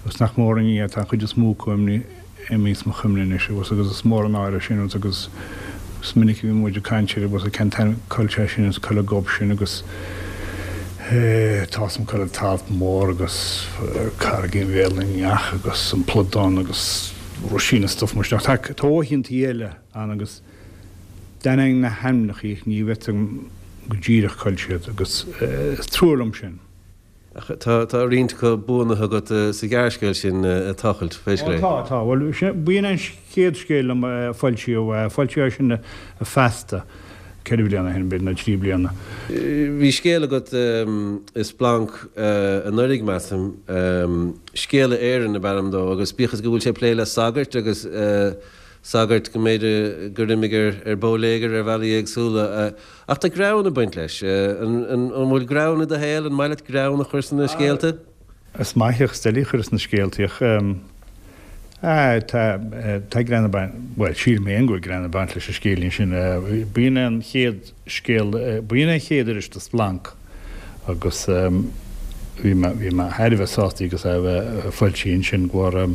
agus nach mór an ní é, tá an chuid is mó acu imithe as mo chuimhne anois agus agus is mór an náire sin agus is minic a bhí muid ag caint air agus cén t-ainm cá bhfuil sé sin agus cá bhfuil an gob sin agus tá 'fhios a'm cá bhfuil an t-alt mór agus Carraigín Bhéal na nEach agus an Pludán agus Ruisín is stuff mar sin ach tá uaigheantaí eile ann agus d'aithneoinn na hainmneacha ach ní bheadh 'fhios a'm go díreach cá bhfuil siad agus is trua liom sin. Ach tá tá roinnt acu buanaithe agat sa ghearrscéal sin, Tochailt, pé scéal é. Ó tá, tá. Bhuel, b'in an chéad scéal liom a foilsíodh. Foilsíodh é sin i Feasta 4 bliana ó shin, b'fhéidir, nó 3 bliana. Bhí scéal agat i Splanc anuraidh, measaim, Scéala Éireann ab ainm dó, agus bíodh is go bhfuil sé ag plé le sagairt agus sagairt go mb'fhéidir gur imigh ar bóiléagar ar bhealaí éagsúla, Ach tá greann ag baint leis. An bhfuil greann i do shaol? An maith leat greann a chur sna scéalta? Is maith ach is doiligh a chur sna scéaltaí ach tá tá greann ag baint, bhuel sílim féin go bhfuil greann ag baint leis an scéilín sin. B'in é an chéad scéal, b'in é an chéad iris do Splanc agus bhí mé bhí mé thar a bheith sásta agus é a bheith foilsithe ansin go raibh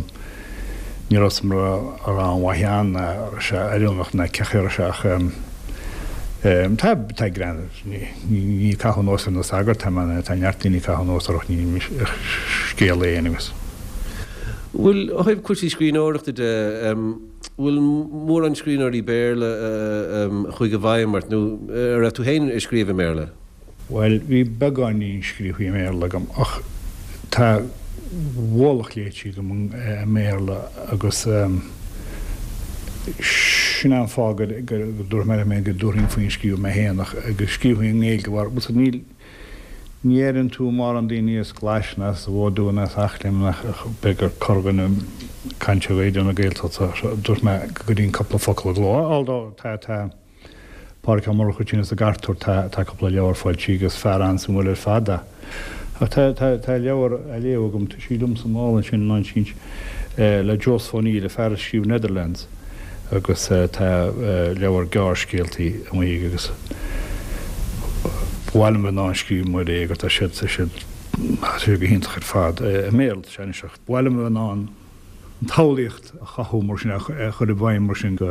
ní raibh a fhios agam an raibh an-mhaith ann ná an raibh sé oiriúnach ná cén chaoi a raibh sé ach tá tá greann ní ní ag caitheamh anuas ar na sagairt tá mé tá neart daoine ag caitheamh anuas orthu ní scéal é anyways. Bhfuil ó thaobh cúrsaí scríbhneoireachta de bhfuil mórán scríbhneoirí Béarla a chuaigh i bhfeidhm ort nó an raibh tú féin ag scríobh i mBéarla? Bhuel, bhí beagáinín scríofa i mBéarla agam ach tá ualach léite agam i mBéarla agus sin é an fáth go dtabharfaidh mé liom é go dtabharfainn faoin scríobh mé féin ach go scríobhainn i nGaeilge mar bhuel níl ní airíonn tú mórán daoine as Glaise ná as Mhódú ná as Eachléim ach b'fhéidir corrdhuine ag caint ar Raidió na Gaeltachta dúirt mé go gcuirfinn cúpla focal i gcló although tá tá Pádraig Ó Murchú ansin as an gCartúr, tá cúpla leabhar foilsithe agus fear an-suimiúil ar fad é. Ach tá, tá, tá leabhar á léamh agam, tá sí liom sa mála ansin, in áit le Joseph O'Neill, an fear a scríobh Netherlands, agus tá leabhar gearrscéaltaí amuigh aige agus ba mhaith liom bheith in ann scríobh mar é agus tá siad, tá siad, tá siad go hiontach ar fad. I mBéarla atá sé anois ach ba mhaith liom bheith in ann an tsamhlaíocht a chothú mar sin, a chur i bhfeidhm mar sin go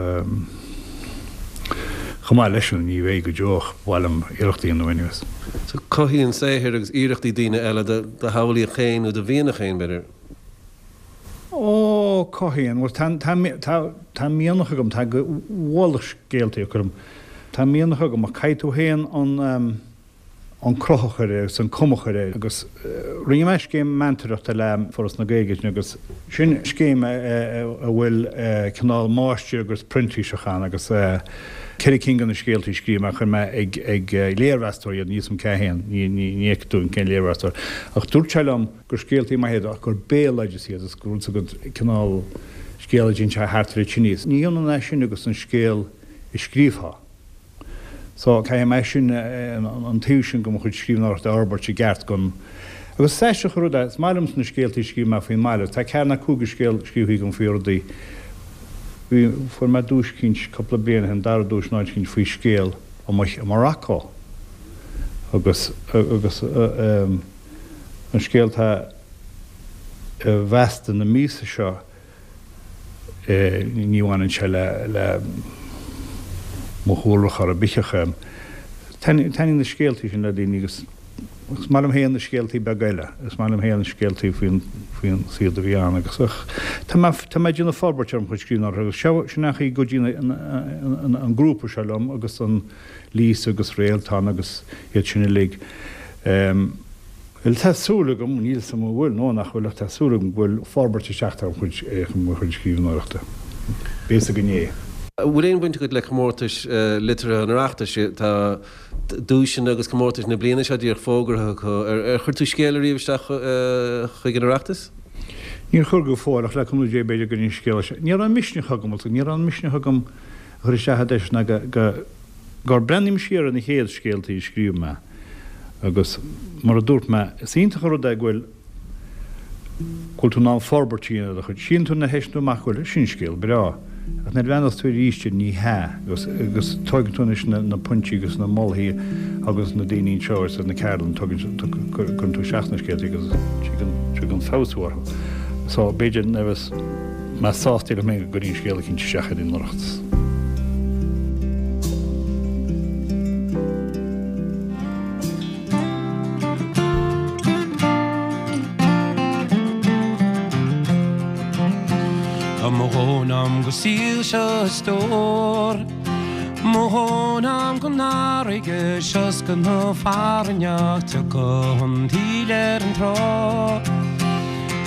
chomh maith leisean, ní bheidh go deo ach ba mhaith liom iarracht a dhéanamh anyways. So cothaíonn saothair agus iarrachtaí daoine eile do shamhlaíocht féin nó do mhianach féin, b'fhéidir? Ó, cothaíonn. Bhuel, tá, tá, tá, tá mianach agam, tá ualach scéaltaí agam, tá mianach agam ach caithfidh tú féin an, an cruth a chur air agus an cuma a chur air agus rinne mé scéim meantóireachta le Foras na Gaeilge ansin agus sin scéim a bhfuil cineál máistir agus printíseach ann agus 4 cinn de na scéaltaí a scríobh mé chuir mé ag ag léirmheastóir iad níl 'fhios a'm cé hé ní ní ní fheicfidh tú cén léirmheastóir ach dúirt sé liom gur scéaltaí maithe iad ach gur béaloideas iad agus gur rud agat cineál scéal a d'inis sé thart ar an tine ní hionann é sin agus an scéal a scríobhfá. So, caithfidh mé sin, an taobh sin de mo chuid scríbhneoireachta a fhorbairt i gceart don. Agus is aisteach an rud é, is maith liomsa na scéaltaí a scríobh mé faoin mbaile. Tá ceathair nó cúig de scéal scríofa agam faoi rudaí. Bhí, fuair mé duais eicínt cúpla bliain ó shin, an dara duais in áit eicínt faoi scéal amuigh i Morocco. Agus, agus an scéal atá i bhFeasta na míosa seo, Ní bhaineann sé le mo chúlra chor ar bith ach taitníonn na scéaltaí sin le daoine agus is maith liom féin na scéaltaí beaga eile. Is maith liom féin na scéaltaí faoin faoin saol a bhí ann agus ach tá mé tá mé ag déanamh forbairt ar mo chuid scríbhneoireachta agus seo sin an chaoi go dtí an grúpa seo liom agus an Lisa agus Réaltán agus iad sin uilig. Bhuel, tá súil agam, níl 'fhios a'm an bhfuil nó nach bhfuil, ach tá súil agam go bhfuil forbairt ag teacht ar mo chuid scríbhneoireachta. Beidh 'fhios againn é. An bhfuil aon bhaint agat le comórtais liteartha an Oireachtais? Tá duaiseanna agus comórtais na bliana seo díreach fógartha acu. Ar chuir tú scéal ariamh isteach chuig an Oireachtas? Níor chuir go fóill, ach le cúnamh Dé b'fhéidir go gcuirfinn scéal isteach. Ní raibh an misneach agam, ní raibh an misneach agam a chur isteach a deis ná go gur breathnaím siar ar na chéad scéaltaí a scríobh mé agus mar a dúirt mé, is iontach an rud é go bhfuil, go bhfuil tú in ann forbairt a dhéanamh ar do chuid. Síleann tú nuair a theisteann tú amach go bhfuil, sin scéal breá, ach nuair a bhreathnaíos tú arís air ní hea agus, agus tóigeann tú anois na, na pointí agus na moltaí agus na daoine anseo ar na ceardlanna, tugann, cuireann tú isteach na scéaltaí agus tigeann, tigeann feabhsú orthu. So b'fhéidir nuair a bheas. mé sásta liom féin go gcuirfinn scéal eicínt isteach ar an Oireachtas. Tá mo dhóthain a'm go saol seo a stór. Mo thóin a'm gon fharraige 's go na fearainn ach tiocfaidh an taoille ar an trá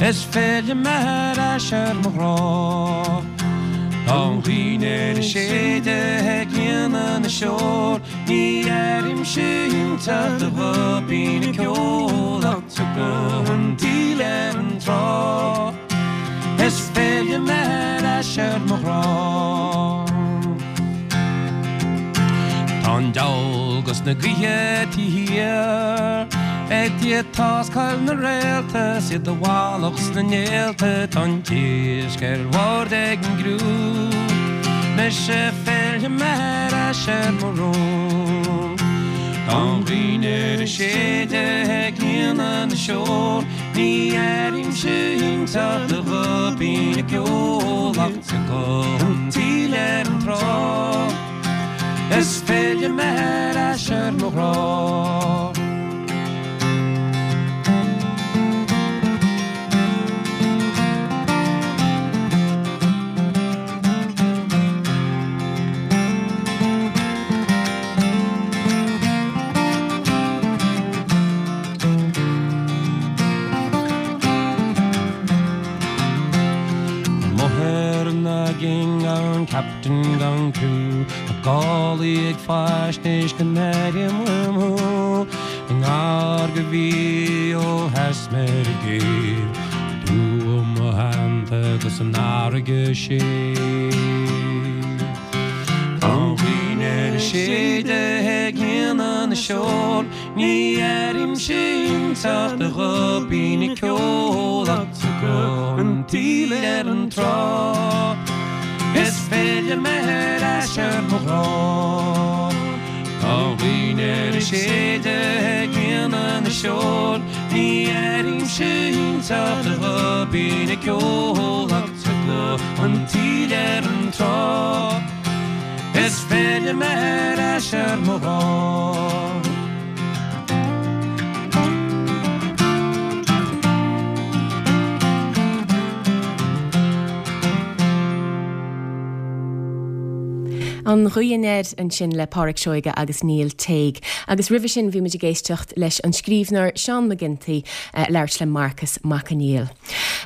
Is fillfidh mé ar ais ar mo ghrá. Tá an ghaoth aniar ag séideadh ag líonadh na seol Ní airímse inteacht de ghuth binn ag ceol Ach tiocfaidh an taoille ar an trá Is fillfidh mé ar ais ar mo ghrá. Tá an diabhal 'gus na gaoithe taobh thiar Ag táscáil na réalta 's iad i bhfalach sna néalta Tá an t-iasc ar bord ag an gcriú Mise fillfidh mé ar ais ar mo rún Tá an ghaoth aniar ag séideadh ag líonadh na seol Ní airímse inteacht de ghuth binn ag ceol Ach tiocfaidh an taoille ar an trá Is fillfidh mé ar ais ar mo ghrá. Amuigh ar an aigéan gan captain gan criú Tá gálaí ag faisnéis go n-airím uaim thú I ngar do mhí ó sheas mé ar an gcéibh Tú i mo theannta 'gus an fharraige séimh Tá an ghaoth aniar ag séideadh ag líonadh na seol Ní airímse inteacht de ghuth binn ag ceol Ach tiocfaidh an taoille ar an trá Is fillfidh mé ar ais ar mo ghrá Tá an ghaoth aniar ag séideadh ag líonadh na seol Ní airímse inteacht de ghuth binn ag ceol Ach tiocfaidh an taoille ar an trá Is fillfidh mé ar ais ar mo ghrá. An Ghaoth Anoir ansin le Pádraic Seoige agus Neil Tague. Agus roimhe sin bhí muid ag éisteacht leis an scríbhneoir Seán Mac Ginty ag labhairt le Marcas Mac Conghail.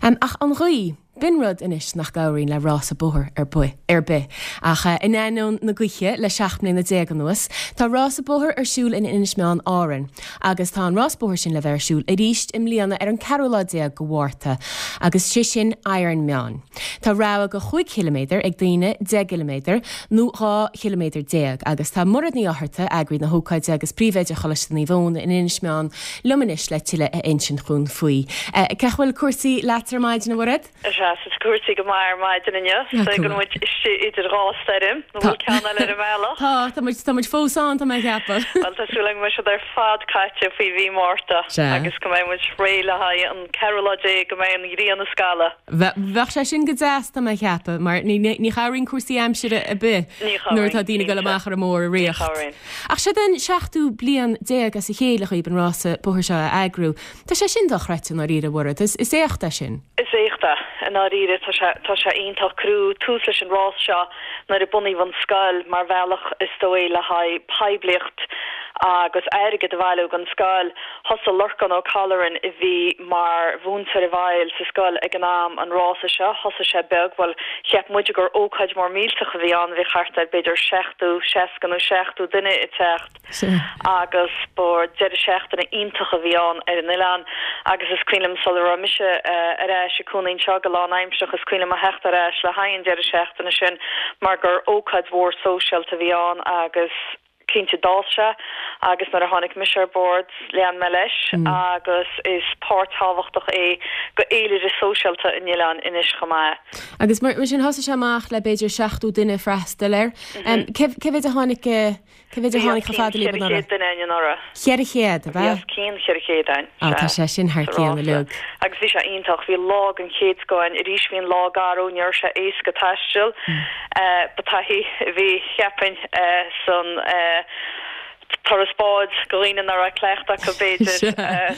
Ach an ghaoth! B'in rud anois nach gcabhraíonn le rása bóthair ar bith, ar bith. Ach in ainneoin na gaoithe, le 17 mbliana anuas, tá rása bóthair ar siúl in Inis Meáin, Árainn. Agus tá an rás bóthair sin le bheith ar siúl arís i mbliana ar an ceathrú lá déag go Mhárta, agus sé sin Iron Meáin. Tá rogha go chúig chiliméadar ag daoine, 10 gciliméadar, nó 12 chiliméadar. Agus tá Mairéad Ní Fhátharta, eagraí na hócáide agus príomhoide Choláiste Naomh Eoin in Inis Meáin, liom anois le tuilleadh a insint dhúinn faoi. Cén chaoi a bhfuil cúrsaí leat ar maidin, a Mhairéad? Sea, tá cúrsaí go maith ar maidin inniu. Is dóigh go bhfuil muid istigh idir dhá stoirm, nó bhfuil ceann eile ar an mbealach? Tá, tá muid, tá muid fós ann, tá mé a cheapadh. Bhuel, tá súil agam go mbeidh siad ar fad caite faoi mhí Márta agus go mbeidh muid réidh le haghaidh an ceathrú lá déag, go mbeidh an ghrian ag scaladh. Bheadh sé sin go deas, tá mé a cheapadh, mar ní, ní chabhraíonn cúrsaí aimsire ar bith nuair atá daoine ag dul amach ar an mbóthar i riocht. Ach seo den seachtú bliain déag as a chéile dhaoib an rása bóthair seo a eagrú. Tá sé sin dochreidte i ndáiríre, a Mhairéad. Is éacht é sin. Is éacht é, i ndáiríre. Tá sé, tá sé iontach. Cuireadh tús leis an rás seo nuair a bunaíodh an scoil mar bhealach, is dóigh, le haghaidh poiblíocht agus airgead a bhailiú don scoil. Thosaigh Lorcán Ó Colleran, a bhí mar mhúinteoir i bhfeighil sa scoil ag an am, an rása seo. Thosaigh sé beag, bhuel, cheap muide gur ócáid mór millteach a bhí ann, bhí thart ar b'fhéidir 70, 60 nó 70 duine ag teacht agus ba deireadh seachtaine iontach a bhí ann ar an oileán agus is cuimhin liom sula raibh mise ar ais ag cónaí anseo go lánaimsearach, is cuimhin liom a theacht ar ais le haghaidh an deireadh seachtaine sin mar gur ócáid mhór sóisialta a bhí ann agus. Cinnte d'fhás sé agus nuair a tháinig mise ar bord lean mé leis agus is páirt thábhachtach é go fhéilire sóisialta an oileáin anois chomh maith. Agus mar sin thosaigh sé amach le b'fhéidir 70 duine ag freastal air. Cé mhéid a tháinig, cé mhéid a tháinig chomh fada libh anuraidh? Bhí os cionn 400 duine ann anuraidh. 400, ab ea? Bhí os cionn 400 ann, sea. Tá sé sin thar cionn uilig. Agus bhí sé iontach, bhí lá den chéad scoth ann. Arís bhí an lá garbh, ní raibh sé éasca taisteal. Ba taithí a bhí, cheapfainn, san. Turas báid go dhaoine nach raibh cleachtadh acu b'fhéidir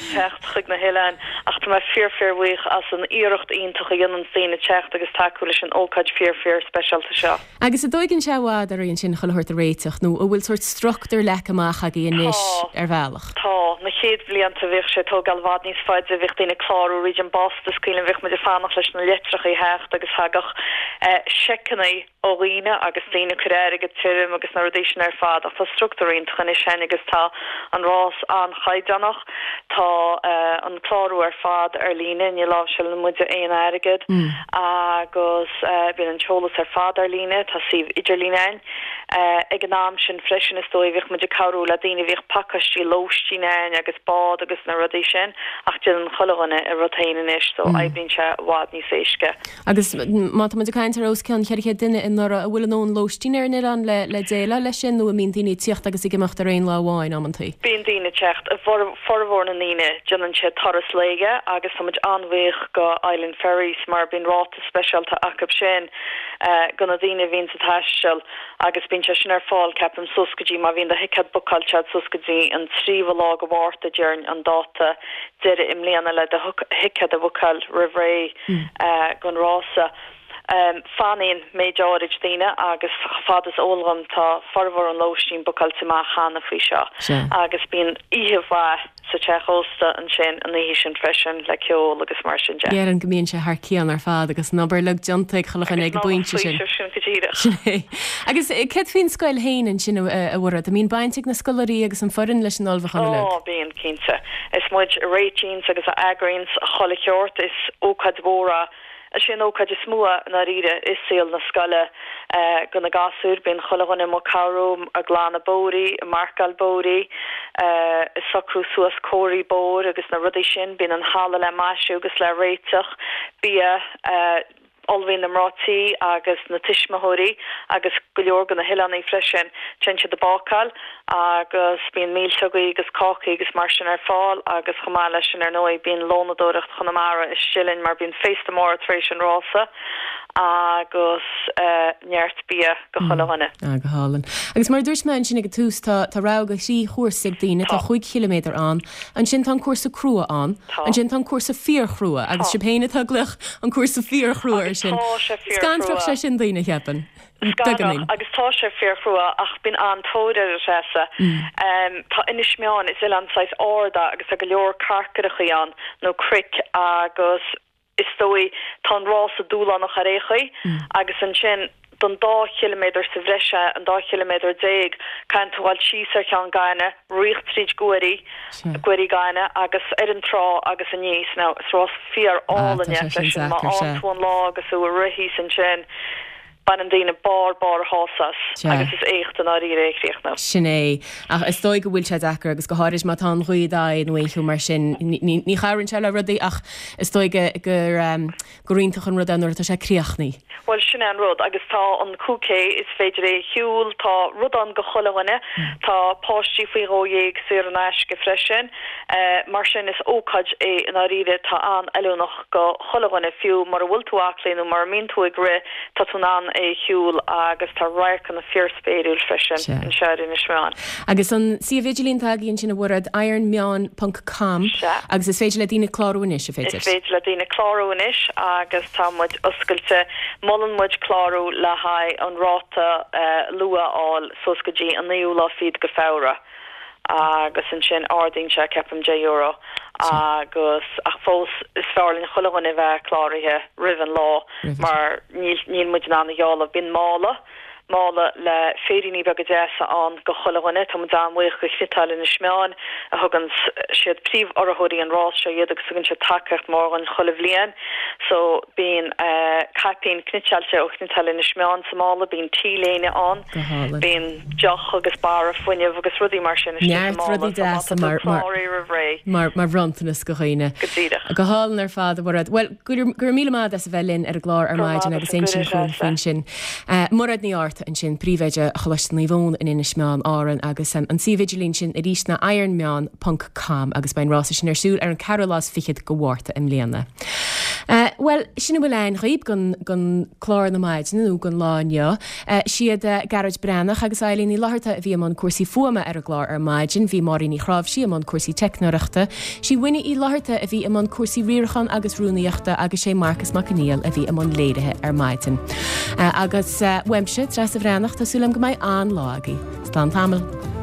teacht chuig na hoileáin ach tá mé fíor fíor bhuíoch as an iarracht iontach a dhéananns daoine teacht agus tacú leis an ócáid fíor fíor speisialta seo. Agus an dtóigeann sé i bhfad oraibh ansin chuile shórt a réiteach nó an bhfuil sórt structúr leagtha amach agaibh anois ar bhealach? Tá. Na chéad bhlianta bhíodh sé ag tógáil i bhfad níos faide, bhíodh daoine ag clárú fríd an bpost is cuimhin liom bhíodh muid ag fanacht leis na litreacha a theacht agus thagadh seiceanna ó dhaoine agus daoine ag cur airgead tirim agus na rudaí sin ar fad ach tá structúr iontach anois a'inn agus tá an rás an-chaighdeánach. Tá an clárú ar fad ar líne, ní láimhseálann muide aon airgead agus bíonn an t-eolas ar fad ar líne, tá suíomh idirlín a'inn. Ag an am sin freisin is dóigh bhíodh muid ag cabhrú le daoine, bhíodh pacáistí lóistín a'inn agus bád agus na rudaí sin ach déanann chuile dhuine a rud féin anois so oibríonn sé i bhfad níos éasca. Agus má tá muid ag caint ar os cionn 400 duine i nDoire, an bhfuil a ndóthain lóistín ar an oileán le déileáil leis sin nó an mbíonn daoine ag tíocht agus ag imeacht ar aon lá amháin amantaí? Bíonn daoine ag teacht. Formhór na ndaoine, déanann siad turas lae agus tá muid an-bhuíoch go Island Ferries mar bíonn ráta speisialta acu sin go na daoine a bhíonns ag taisteal agus bíonn sé sin ar fáil ceapaim suas go dtí, má bhíonn do thicéad bookáilte agat suas go dtí an tríomhadh lá go Mhárta déarfainn an dáta deiridh i mbliana le do thicéad a bhookáil roimh ré. gon rása. Fanann méid áirid daoine agus chomh fada is eol dhom tá formhór an lóistín bookáilte amach cheana faoi seo agus bíonn oíche mhaith sa teach ósta ansin an oíche sin freisin le ceol agus mar sin de. Déarfainn go mbíonn sé thar cionn ar fad agus an obair uilig déanta ag chuile dhuine ag an bpointe sin. Agus sin go díreach. Sin é. Agus céard faoin scoil féin ansin a Mhairéad? An mbíonn baint ag na scoláirí agus an foireann leis an ullmhúchán uilig? Ó bíonn, cinnte. Is muid a réitíonns agus a eagraíonns chuile sheort. Is ócáid mhór é. Is é an ócáid is mó i ndáiríre i saol na scoile go na gasúir. Bíonn chuile dhuine amuigh ag cabhrú, ag glanadh bóithrí, ag marcáil bóithrí, ag socrú suas comharthaí bóthair agus na rudaí sin. Bíonn an halla le maisiú agus le réiteach, bia, Ullmhaíonn na mná tí agus na tuismitheoirí agus go leor de na hoileánaigh freisin, téann siad ag bácáil agus bíonn milseogaí agus cácaí agus mar sin ar fáil agus chomh maith leis sin ar ndóigh bíonn lónadóireacht Chonamara istigh linn mar bíonn féasta mór tar éis an rása agus neart bia go chuile dhuine. Ah, go hálainn. Agus mar a dúirt mé ansin ag an tús, tá tá rogha de thrí chúrsa ag daoine, tá chúig chiliméadar ann, Ansin tá an cúrsa crua ann. Tá. Ansin tá an cúrsa fíorchrua agus Tá. sibh féin atá ag glaoch an cúrsa fíorchrua air Agus sin. tá sé fíorchrua. Scanródh sé sin daoine, cheapfainn. Scanródh Beagáinín. agus tá sé fíorchrua ach bíonn an-tóir air, a Threasa. Tá Inis Meáin, is oileán saghas ard é agus tá go leor carcaireachaí ann nó cnoic agus is dóigh, tá an rása dúshlánach ar aon chaoi agus ansin don dá chiliméadar sa bhreis, an dá chiliméadar déag, caitheann tú dhul síos ar Cheann Gainimh, rith tríd guairí, guairí gainimh agus ar an trá agus aníos. Now, is rás fíor álainn é freisin, má fhaigheann tú an lá agus tú ag rith thíos ansin, Baineann daoine barr barr a shásamh as agus is éacht i ndáiríre é a chríochnú. Sin é. Ach is dóigh go bhfuil sé deacair agus go háirid má tá an ghaoth i d'aghaidh nó aon cheo mar sin. Ní chabhraíonn sé le rudaí ach is dóigh gur gur iontach an rud é nuair atá sé críochnaithe. Bhuel, sin é an rud agus tá an 5K, is féidir é a shiúl, tá rud ann go chuile dhuine. Tá páistí faoi dhó dhéag saor in aisce freisin. Mar sin is ócáid é i ndáiríre atá an-fheiliúnach go chuile dhuine, fiú mura bhfuil tú aclaí nó mura mbíonn tú ag rith. Tá tú in ann é a shiúl agus tá radharcanna fíorspéiriúil freisin Sea. anseo ar Inis Meáin. Agus an suíomh idirlín atá agaibh ansin a Mhairéad, ironmeáin ponc com Sea. agus is féidir le daoine clárú anois, an féidir? Is féidir le daoine clárú anois agus tá muid oscailte. Molann muid clárú le haghaidh an ráta luath a fháil suas go dtí an naoú lá fichead go Feabhra. agus ansin ardaíonn sé ceapaim €10 agus ach fós is fearr linn chuile dhuine a bheith cláraithe roimh an lá mar níl níl muid in ann a ghealladh. Bíonn mála, mála le féiríní beaga deasa ann go chuile dhuine. Tá muid an-bhuíoch go Chniotáil Inis Meáin a thugann siad príomh-urraitheoirí an rás seo iad agus tugann siad tacaíocht mhór dhúinn chuile bhliain. So bíonn caipín cniotáilte ó Chniotáil Inis Meáin sa mála, bíonn T-léine ann, Go hálainn. Bíonn deoch agus barra fuinnimh agus rudaí mar sin istigh sa Neart mála rudaí so má deasa tá tú mar, mar, cláraithe roimh ré. mar, mar bhronntanas go dhaoine. Go díreach. Go hálainn ar fad, a Mhairéad. Bhuel, go raibh, go raibh míle maith agat as a bheith linn ar an gclár ar Go raibh maidin maith agus agat an insint cuireadh, dhúinn Treasa. faoin sin. Mairéad Ní Fhátharta ansin, Príomhoide Choláiste Naomh Eoin in Inis Meáin, Árainn agus an suíomh idirlín sin arís ná ironmeáin ponc com agus beidh an rása sin ar siúl ar an ceathrú lá is fichead go Mhárta i mbliana. Bhuel, sin a bhfuil againn dhaoib don clár na maidine nó don lá inniu. Siad Gearóid Breathnach agus Eilín Ní Fhlatharta a bhí i mbun cúrsaí fuaime ar an gclár ar maidin, bhí Máirín Ní Chráimhsí i mbun cúrsaí teicneoireachta, sí Winnie Uí Fhlatharta a bhí i mbun cúrsaí riaracháin agus rúnaíochta agus sé Marcas Mac Conghail a bhí i mbun léirithe ar maidin. Agus uaimse, Treasa Bhreathnach, tá súil agam go mbeidh an-lá agaibh. Slán tamall.